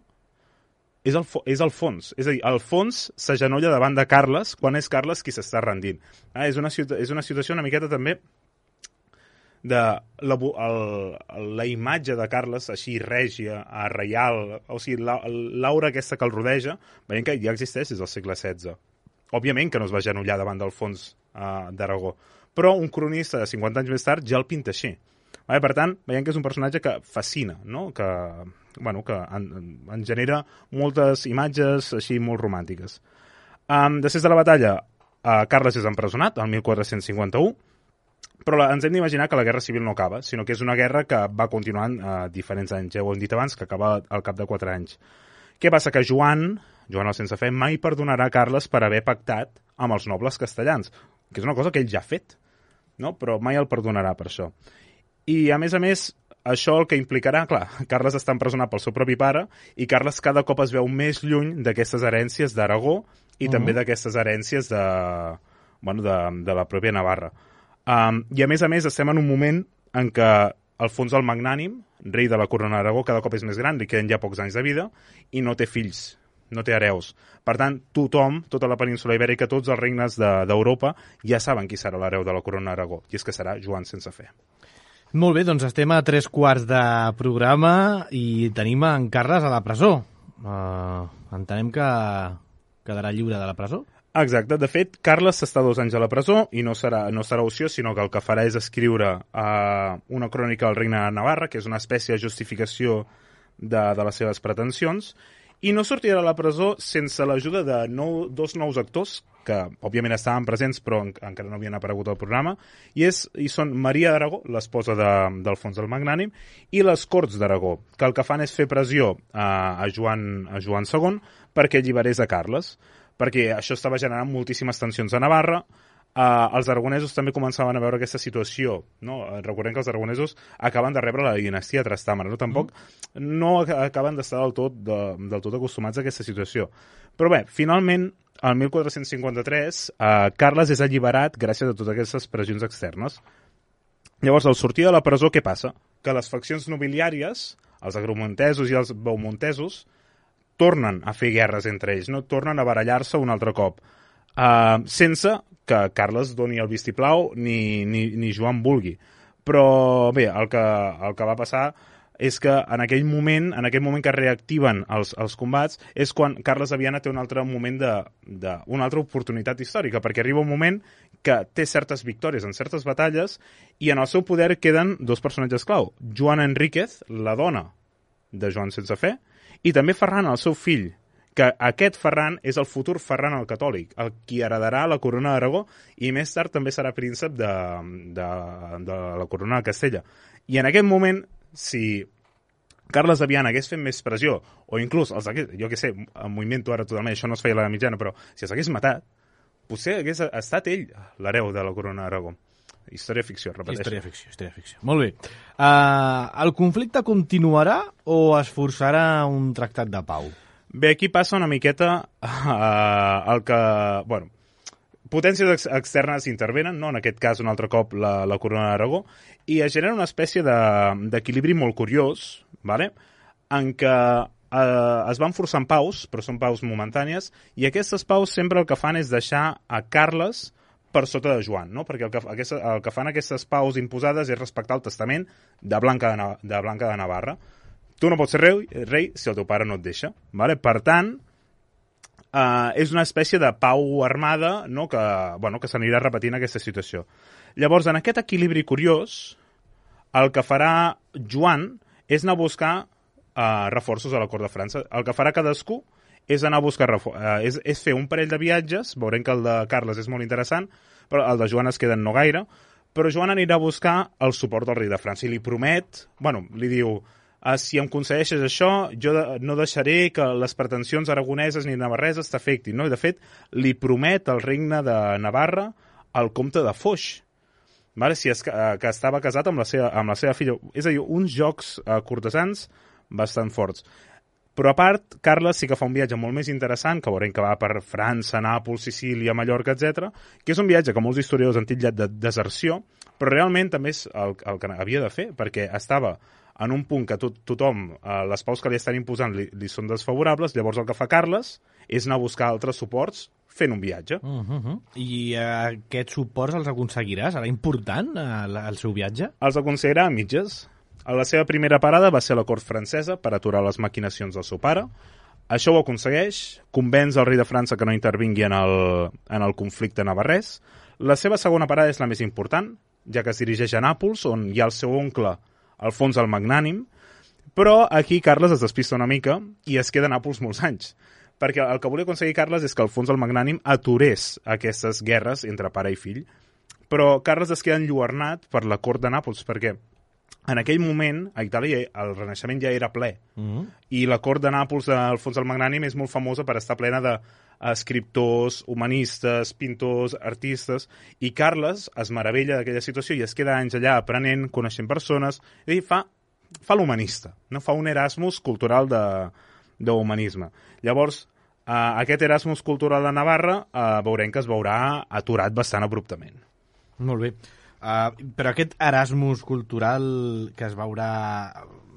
és, el, és Alfons. És a dir, Alfons s'agenolla davant de Carles quan és Carles qui s'està rendint. Ah, és, una, és una situació una miqueta també de la, el, la imatge de Carles així règia, reial, o sigui, l'aura aquesta que el rodeja, veiem que ja existeix des del segle setze. Òbviament que no es va agenollar davant d'Alfons uh, d'Aragó, però un cronista de cinquanta anys més tard ja el pinta així. Vale, per tant, veiem que és un personatge que fascina, no? que, bueno, que en, en genera moltes imatges així molt romàntiques. Um, després de la batalla, uh, Carles és empresonat, el mil quatre-cents cinquanta-u, però la, ens hem d'imaginar que la guerra civil no acaba, sinó que és una guerra que va continuant uh, diferents anys. Ja ho hem dit abans, que acaba al cap de quatre anys. Què passa? Que Joan, Joan el sense fe, mai perdonarà Carles per haver pactat amb els nobles castellans, que és una cosa que ell ja ha fet, no? Però mai el perdonarà per això. I, a més a més, això el que implicarà, clar, Carles està empresonat pel seu propi pare i Carles cada cop es veu més lluny d'aquestes herències d'Aragó i uh -huh. també d'aquestes herències de, bueno, de, de la pròpia Navarra. Um, I, a més a més, estem en un moment en què Alfons el Magnànim, rei de la corona d'Aragó, cada cop és més gran, li queden ja pocs anys de vida i no té fills, no té hereus. Per tant, tothom, tota la península ibèrica, tots els regnes d'Europa de, ja saben qui serà l'hereu de la corona d'Aragó, i és que serà Joan sense fe. Molt bé, doncs estem a tres quarts de programa i tenim en Carles a la presó. Uh, entenem que quedarà lliure de la presó? Exacte. De fet, Carles està dos anys a la presó i no serà, no serà opció, sinó que el que farà és escriure uh, una crònica del regne de Navarra, que és una espècie de justificació de, de les seves pretensions, i no sortirà de la presó sense l'ajuda de nou, dos nous actors que òbviament estaven presents però en, encara no havien aparegut al programa, i, és, i són Maria d'Aragó, l'esposa de, d'Alfons el Magnànim, i les Corts d'Aragó, que el que fan és fer pressió a, a, Joan, a Joan segon perquè alliberés a Carles, perquè això estava generant moltíssimes tensions a Navarra. Uh, els aragonesos també començaven a veure aquesta situació, no? Recordem que els aragonesos acaben de rebre la dinastia Trastàmara, no? Tampoc mm. no acaben d'estar del tot, de, del tot acostumats a aquesta situació. Però bé, finalment, el mil quatre-cents cinquanta-tres, uh, Carles és alliberat gràcies a totes aquestes pressions externes. Llavors, al sortir de la presó, què passa? Que les faccions nobiliàries, els agromontesos i els beaumontesos, tornen a fer guerres entre ells, no? Tornen a barallar-se un altre cop, uh, sense que Carles doni el vistiplau ni, ni, ni Joan vulgui. Però bé, el que, el que va passar és que en aquell moment, en aquell moment que reactiven els, els combats, és quan Carles de Viana té un altre moment de, de, una altra oportunitat històrica, perquè arriba un moment que té certes victòries en certes batalles i en el seu poder queden dos personatges clau. Joana Enríquez, la dona de Joan sense fe, i també Ferran, el seu fill, que aquest Ferran és el futur Ferran el Catòlic, el qui heredarà la corona d'Aragó i més tard també serà príncep de, de, de la corona de Castella. I en aquest moment, si Carles de Viana hagués fet més pressió, o inclús, els hagués, jo què sé, m'ho invento ara totalment, això no es feia a la mitjana, però si els hagués matat, potser hagués estat ell l'hereu de la corona d'Aragó. Història ficció, repeteixo. Història ficció, història ficció. Molt bé. Uh, el conflicte continuarà o es forçarà un tractat de pau? Bé, aquí passa una miqueta uh, el que... Bueno, potències ex externes intervenen, no? En aquest cas un altre cop la, la corona d'Aragó, i es genera una espècie d'equilibri de, molt curiós, vale? En què uh, es van forçant paus, però són paus momentànies, i aquestes paus sempre el que fan és deixar a Carles per sota de Joan, no? Perquè el que, aquesta, el que fan aquestes paus imposades és respectar el testament de Blanca de, de, Blanca de Navarra. Tu no pots ser rei, rei si el teu pare no et deixa. Vale? Per tant, eh, és una espècie de pau armada, no? que, bueno, que s'anirà repetint aquesta situació. Llavors, en aquest equilibri curiós, el que farà Joan és anar a buscar eh, reforços a la cort de França. El que farà cadascú és anar a buscar eh, és, és fer un parell de viatges. Veurem que el de Carles és molt interessant, però el de Joan es queda en no gaire. Però Joan anirà a buscar el suport del rei de França i li promet, bueno, li diu... Uh, si em concedeixes això, jo de, no deixaré que les pretensions aragoneses ni navarreses t'afectin. No? I, de fet, li promet el regne de Navarra al comte de Foix, vale? Si és que, uh, que estava casat amb la, seva, amb la seva filla. És a dir, uns jocs uh, cortesans bastant forts. Però a part, Carles sí que fa un viatge molt més interessant, que veurem que va per França, Nàpols, Sicília, Mallorca, etcètera, que és un viatge que molts historiadors han titllat de deserció, però realment també és el, el que havia de fer, perquè estava en un punt que tot, tothom, eh, les paus que li estan imposant li, li són desfavorables, llavors el que fa Carles és anar a buscar altres suports fent un viatge. Uh -huh. I uh, aquests suports els aconseguirà? Serà important uh, el seu viatge? Els aconseguirà a mitges. A la seva primera parada va ser a la cort francesa per aturar les maquinacions del seu pare. Això ho aconsegueix, convenç el rei de França que no intervingui en el, en el conflicte navarrès. La seva segona parada és la més important, ja que es dirigeix a Nàpols, on hi ha el seu oncle Alfons el Magnànim, però aquí Carles es despista una mica i es queda a Nàpols molts anys, perquè el que volia aconseguir Carles és que Alfons el Magnànim aturés aquestes guerres entre pare i fill, però Carles es queda enlluernat per la cort de Nàpols, perquè en aquell moment a Itàlia el Renaixement ja era ple, mm-hmm. i la cort de Nàpols d'Alfons el Magnànim és molt famosa per estar plena de escriptors, humanistes, pintors, artistes, i Carles es meravella d'aquella situació i es queda anys allà aprenent, coneixent persones, i fa, fa l'humanista, no? Fa un Erasmus cultural d'humanisme. Llavors, eh, aquest Erasmus cultural de Navarra eh, veurem que es veurà aturat bastant abruptament. Molt bé. Uh, però aquest Erasmus cultural que es veurà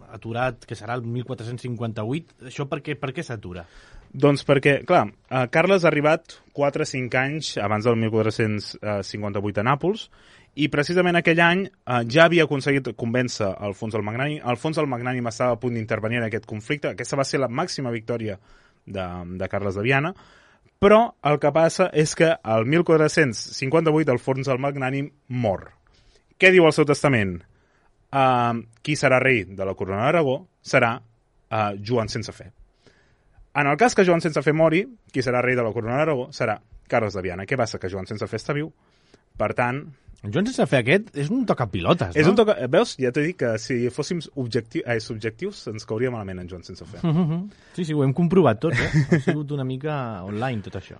aturat, que serà el mil quatre-cents cinquanta-vuit, això per què, per què s'atura? Doncs perquè, clar, eh, Carles ha arribat quatre o cinc anys abans del mil quatre-cents cinquanta-vuit a Nàpols i precisament aquell any eh, ja havia aconseguit convèncer Alfons el Magnànim. Alfons el Magnànim estava a punt d'intervenir en aquest conflicte. Aquesta va ser la màxima victòria de, de Carles de Viana, però el que passa és que el mil quatre-cents cinquanta-vuit Alfons el Magnànim mor. Què diu el seu testament? Uh, qui serà rei de la corona d'Aragó serà uh, Joan sense fe. En el cas que Joan sense fer mori, qui serà rei de la corona d'Aragó serà Carles de Viana. Què passa? Que Joan sense fer està viu. Per tant... Joan sense fer aquest és un tocapilotes, no? És un toca... Veus? Ja t'he dit que si fóssim objectiu... eh, subjectius ens cauria malament en Joan sense fer. Mm -hmm. Sí, sí, ho hem comprovat tots, eh? Ha sigut una mica online tot això.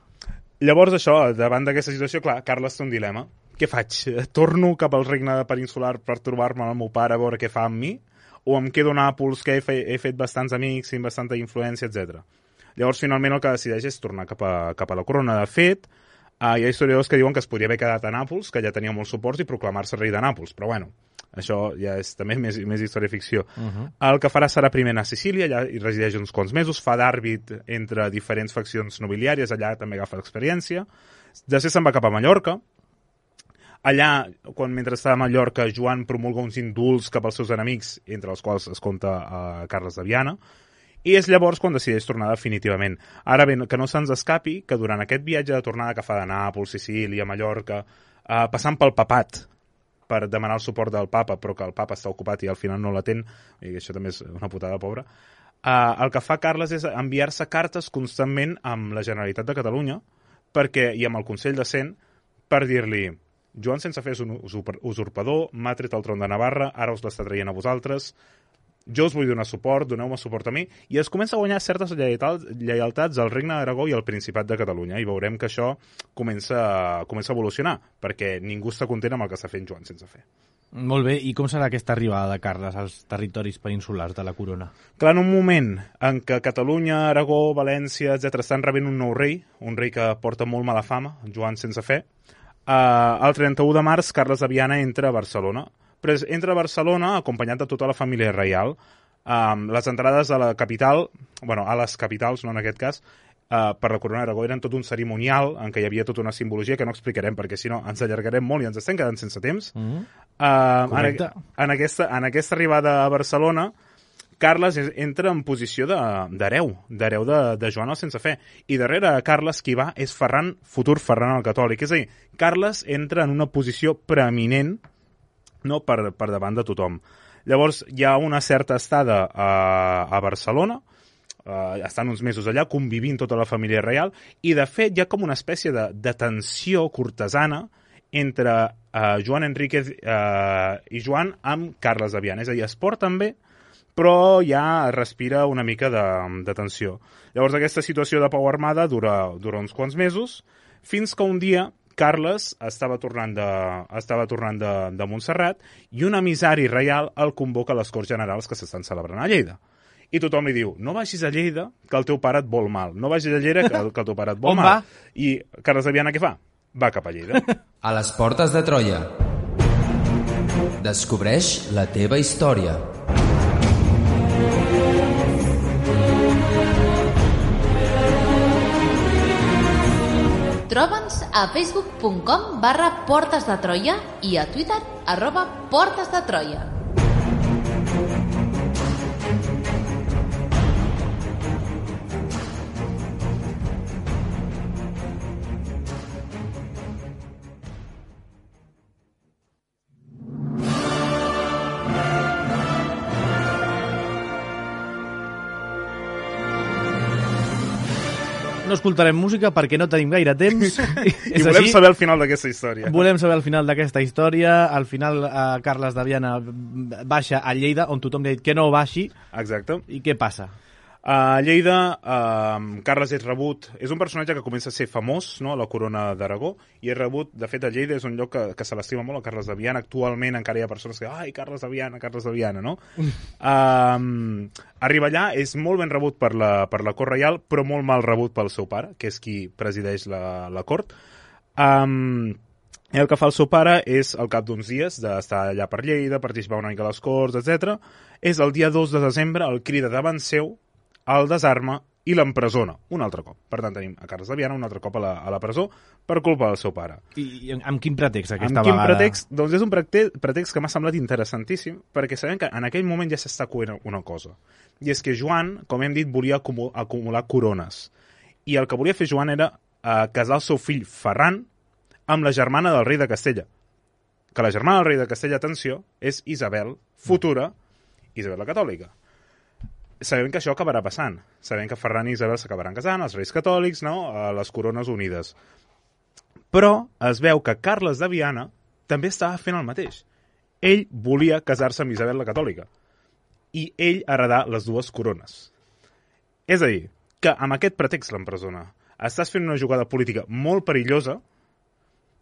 Llavors això, davant d'aquesta situació, clar, Carles té un dilema. Què faig? Torno cap al regne peninsular per trobar-me amb el meu pare a veure què fa amb mi? O em quedo a Nàpols, que he, fe... he fet bastants amics, tinc bastanta influència, etcètera. Llavors, finalment, el que decideix és tornar cap a, cap a la corona. De fet, uh, hi ha historiadors que diuen que es podria haver quedat a Nàpols, que ja tenia molts suports, i proclamar-se rei de Nàpols. Però, bueno, això ja és també més, més història ficció. Uh -huh. El que farà serà primer anar a Sicília, allà hi resideix uns quants mesos, fa d'àrbit entre diferents faccions nobiliàries, allà també agafa l'experiència. Després se'n va cap a Mallorca. Allà, quan mentre estava a Mallorca, Joan promulga uns indults cap als seus enemics, entre els quals es compta uh, Carles de Viana, i és llavors quan decideix tornar definitivament. Ara bé, que no se'ns escapi que durant aquest viatge de tornada que fa de Nàpols, Sicília, Mallorca, eh, passant pel papat per demanar el suport del papa, però que el papa està ocupat i al final no l'atén, i això també és una putada pobra, eh, el que fa Carles és enviar-se cartes constantment amb la Generalitat de Catalunya perquè i amb el Consell de Cent per dir-li Joan sense fer és un usurpador, m'ha tret el tron de Navarra, ara us l'està traient a vosaltres, jo us vull donar suport, doneu-me suport a mi, i es comença a guanyar certes lleialtats al Regne d'Aragó i al Principat de Catalunya, i veurem que això comença, comença a evolucionar, perquè ningú està content amb el que està fent Joan sense fer. Molt bé, i com serà aquesta arribada de Carles als territoris peninsulars de la corona? Clar, en un moment en què Catalunya, Aragó, València, etcètera estan rebent un nou rei, un rei que porta molt mala fama, Joan sense fer, eh, el trenta-u de març Carles de Viana entra a Barcelona, però entra a Barcelona acompanyat de tota la família reial. Um, les entrades a la capital, bueno, a les capitals, no en aquest cas, uh, per la corona d'Aragó eren tot un cerimonial en què hi havia tota una simbologia que no explicarem perquè si no ens allargarem molt i ens estem quedant sense temps. Mm -hmm. uh, en, en, aquesta, en aquesta arribada a Barcelona Carles entra en posició d'hereu, d'hereu de, de Joan el sense fer. I darrere Carles qui va és Ferran, futur Ferran el Catòlic. És a dir, Carles entra en una posició preeminent no per, per davant de tothom. Llavors, hi ha una certa estada a, a Barcelona, uh, estan uns mesos allà, convivint tota la família reial, i de fet hi ha com una espècie de, de tensió cortesana entre uh, Joan Enríquez uh, i Joan amb Carles de Viana. És a dir, es porten bé, però ja respira una mica de, de tensió. Llavors, aquesta situació de pau armada dura, dura uns quants mesos, fins que un dia Carles estava tornant de, estava tornant de, de Montserrat i un emissari reial el convoca a les Corts Generals que s'estan celebrant a Lleida. I tothom li diu, no vagis a Lleida, que el teu pare et vol mal. No vagis a Lleida, que, que el teu pare et vol On mal. va? I Carles de Viana què fa? Va cap a Lleida. A les portes de Troia. Descobreix la teva història. Troba'ns a facebook punt com barra Portes de Troia i a Twitter arroba Portes de Troia. No escoltarem música perquè no tenim gaire temps. I volem així. saber el final d'aquesta història. Volem saber el final d'aquesta història. Al final, eh, Carles de Viana baixa a Lleida, on tothom li ha dit que no baixi. Exacte. I què passa? A Lleida, uh, Carles és rebut... És un personatge que comença a ser famós, no?, a la corona d'Aragó, i és rebut... De fet, a Lleida és un lloc que, que se l'estima molt, a Carles de Viana. Actualment encara hi ha persones que... Ai, Carles de Viana, Carles de Viana, no? uh, arriba allà, és molt ben rebut per la, per la cort reial, però molt mal rebut pel seu pare, que és qui presideix la, la cort. Um, i el que fa el seu pare és, al cap d'uns dies, d'estar allà per Lleida, participar una mica a les corts, etcètera, és el dia dos de desembre, el crida davant seu, el desarma i l'empresona un altre cop. Per tant, tenim a Carles de Viana un altre cop a la, a la presó per culpa del seu pare. I, i amb quin pretext aquesta amb quin vegada? Pretext? Doncs és un pretext, pretext que m'ha semblat interessantíssim perquè sabem que en aquell moment ja s'està coent una cosa. I és que Joan, com hem dit, volia acumular, acumular corones. I el que volia fer Joan era eh, casar el seu fill Ferran amb la germana del rei de Castella. Que la germana del rei de Castella, atenció, és Isabel, futura Isabel la Catòlica. sabem que això acabarà passant. Sabem que Ferran i Isabel s'acabaran casant, els Reis Catòlics, no? A les Corones Unides. Però es veu que Carles de Viana també estava fent el mateix. Ell volia casar-se amb Isabel la Catòlica i ell heredar les dues corones. És a dir, que amb aquest pretext l'empresona. Estàs fent una jugada política molt perillosa,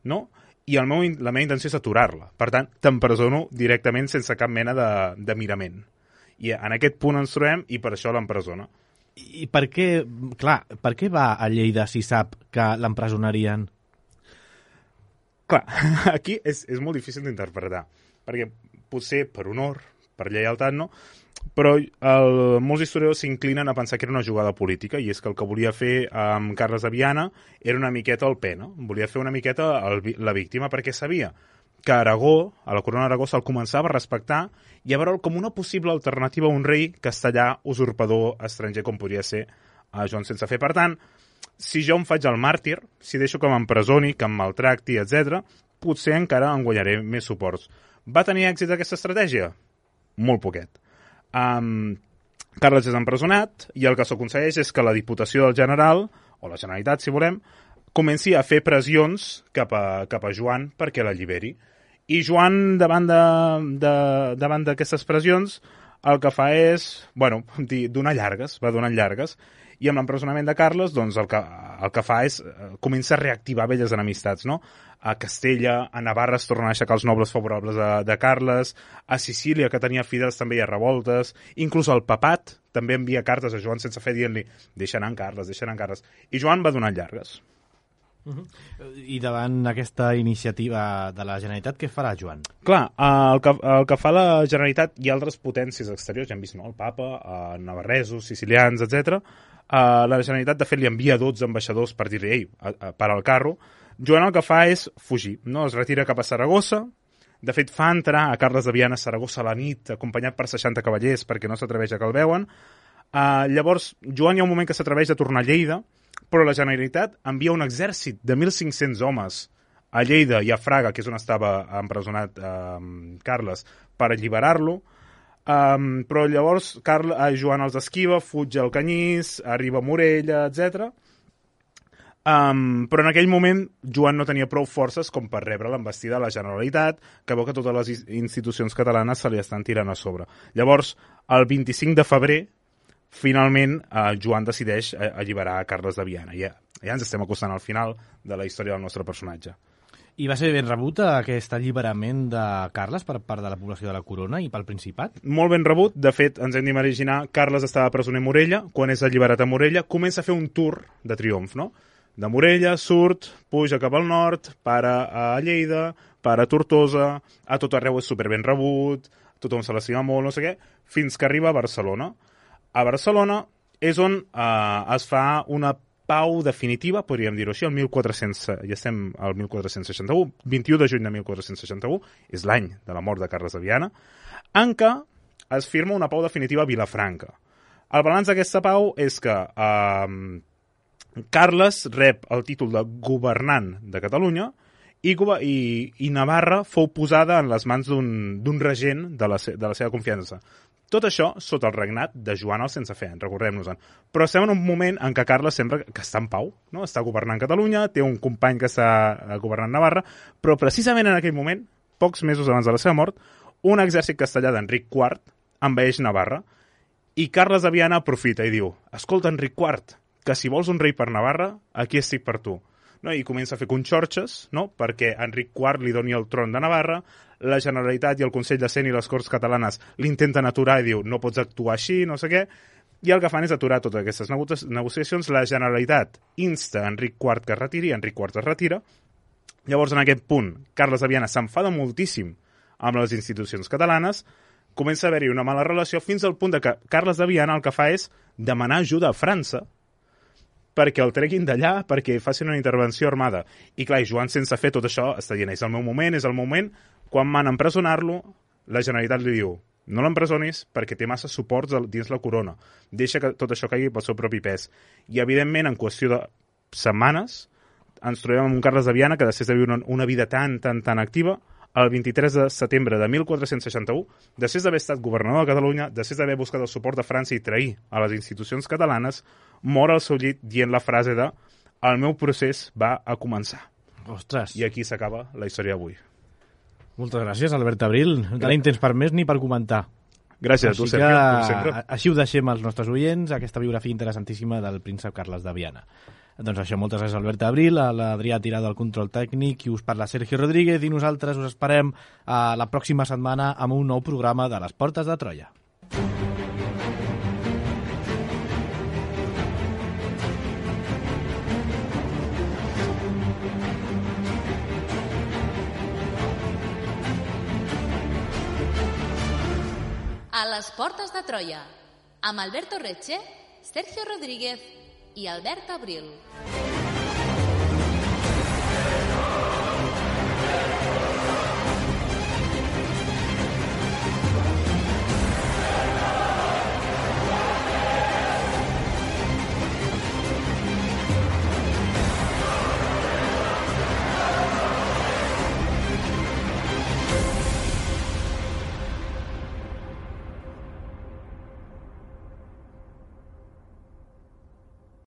no? I el meu, la meva intenció és aturar-la. Per tant, t'empresono directament sense cap mena de, de mirament. I en aquest punt ens trobem i per això l'empresona. I per què, clar, per què va a Lleida si sap que l'empresonarien? Clar, aquí és, és molt difícil d'interpretar, perquè potser per honor, per lleialtat, no? Però el, molts historiadors s'inclinen a pensar que era una jugada política, i és que el que volia fer amb Carles de Viana era una miqueta el pe, no? Volia fer una miqueta el, la víctima, perquè sabia que Aragó, a la corona d'Aragó, se'l començava a respectar i a veure'l com una possible alternativa a un rei castellà, usurpador, estranger, com podria ser a Joan sense fer. Per tant, si jo em faig el màrtir, si deixo que m'empresoni, que em maltracti, etcètera, potser encara en guanyaré més suports. Va tenir èxit aquesta estratègia? Molt poquet. Um, Carles és empresonat i el que s'aconsegueix és que la Diputació del General, o la Generalitat, si volem, comenci a fer pressions cap a, cap a Joan perquè l'alliberi. I Joan, davant de, de, davant d'aquestes pressions, el que fa és, bueno, donar llargues, va donant llargues, i amb l'empresonament de Carles, doncs, el que, el que fa és, comença a reactivar velles enemistats, no? A Castella, a Navarra es tornen a aixecar els nobles favorables de, de Carles, a Sicília, que tenia fidels, també hi ha revoltes, inclús el papat també envia cartes a Joan sense fer dient-li deixa anar en Carles, deixa anar en Carles. I Joan va donant llargues. Uh-huh. I davant aquesta iniciativa de la Generalitat, què farà Joan? Clar, el que, el que fa la Generalitat i altres potències exteriors, ja hem vist, no? El papa, eh, navarresos, sicilians, etcètera. Uh, la Generalitat, de fet, li envia dotze ambaixadors per dir-li, ei, a, a, para el carro. Joan el que fa és fugir, no? Es retira cap a Saragossa. De fet, fa entrar a Carles de Viana a Saragossa a la nit, acompanyat per seixanta cavallers, perquè no s'atreveix a que el veuen. Uh, llavors, Joan hi ha un moment que s'atreveix a tornar a Lleida, però la Generalitat envia un exèrcit de mil cinc-cents homes a Lleida i a Fraga, que és on estava empresonat uh, Carles, per alliberar-lo. Um, però llavors Carles, eh, Joan els esquiva, fuig al Canyís, arriba a Morella, etcètera. Um, però en aquell moment Joan no tenia prou forces com per rebre l'envestida de la Generalitat, que veu que totes les institucions catalanes se li estan tirant a sobre. Llavors, el vint-i-cinc de febrer, finalment, eh, Joan decideix alliberar a Carles de Viana. Ja, ja ens estem acostant al final de la història del nostre personatge. I va ser ben rebut aquest alliberament de Carles per part de la població de la Corona i pel Principat? Molt ben rebut. De fet, ens hem d'imaginar, Carles estava presoner a Morella. Quan és alliberat a Morella, comença a fer un tour de triomf, no? De Morella, surt, puja cap al nord, para a Lleida, para a Tortosa, a tot arreu és superben rebut, tothom se l'estima molt, no sé què, fins que arriba a Barcelona. A Barcelona és on eh, es fa una pau definitiva, podríem dir-ho així, el mil quatre-cents, ja estem al mil quatre-cents seixanta-u, vint-i-u de juny de mil quatre-cents seixanta-u, és l'any de la mort de Carles de Viana, en què es firma una pau definitiva a Vilafranca. El balanç d'aquesta pau és que eh, Carles rep el títol de governant de Catalunya i, i, i Navarra fou posada en les mans d'un regent de la, de la seva confiança. Tot això sota el regnat de Joan el Sense Fe, recordem-nos-en. Però estem en un moment en què Carles sembla que està en pau, no? Està governant Catalunya, té un company que està governant Navarra, però precisament en aquell moment, pocs mesos abans de la seva mort, un exèrcit castellà d'Enric quart envaeix Navarra i Carles de Viana aprofita i diu: escolta, Enric quart, que si vols un rei per Navarra, aquí estic per tu. No? I comença a fer conxorxes, no? Perquè Enric quart li doni el tron de Navarra, la Generalitat i el Consell de Cent i les Corts Catalanes l'intenten aturar i diu no pots actuar així, no sé què, i el que fan és aturar totes aquestes negociacions. La Generalitat insta Enric quart que es retiri, Enric quart es retira. Llavors, en aquest punt, Carles de Viana s'enfada moltíssim amb les institucions catalanes, comença a haver-hi una mala relació fins al punt de que Carles de Viana el que fa és demanar ajuda a França perquè el treguin d'allà, perquè facin una intervenció armada. I clar, Joan Sense Fe tot això està dient, és el meu moment, és el moment. Quan van empresonar-lo, la Generalitat li diu no l'empresonis perquè té massa suports dins la corona. Deixa que tot això caigui pel seu propi pes. I, evidentment, en qüestió de setmanes, ens trobem amb un Carles de Viana que després de viure una vida tan, tan, tan activa, el vint-i-tres de setembre de mil quatre-cents seixanta-u, després d'haver estat governador de Catalunya, després d'haver buscat el suport de França i trair a les institucions catalanes, mor al seu llit dient la frase de «El meu procés va a començar». Ostres. I aquí s'acaba la història d'avui. Moltes gràcies, Albert Abril. No tenim temps per més ni per comentar. Gràcies a tu, Sergio, com sempre. Així ho deixem als nostres oients, aquesta biografia interessantíssima del príncep Carles de Viana. Doncs això, moltes gràcies a Albert Abril, a l'Adrià Tirado al control tècnic, i us parla Sergio Rodríguez, i nosaltres us esperem a la pròxima setmana amb un nou programa de Les Portes de Troia. A les Portes de Troia, amb Alberto Retxe, Sergio Rodríguez i Albert Abril.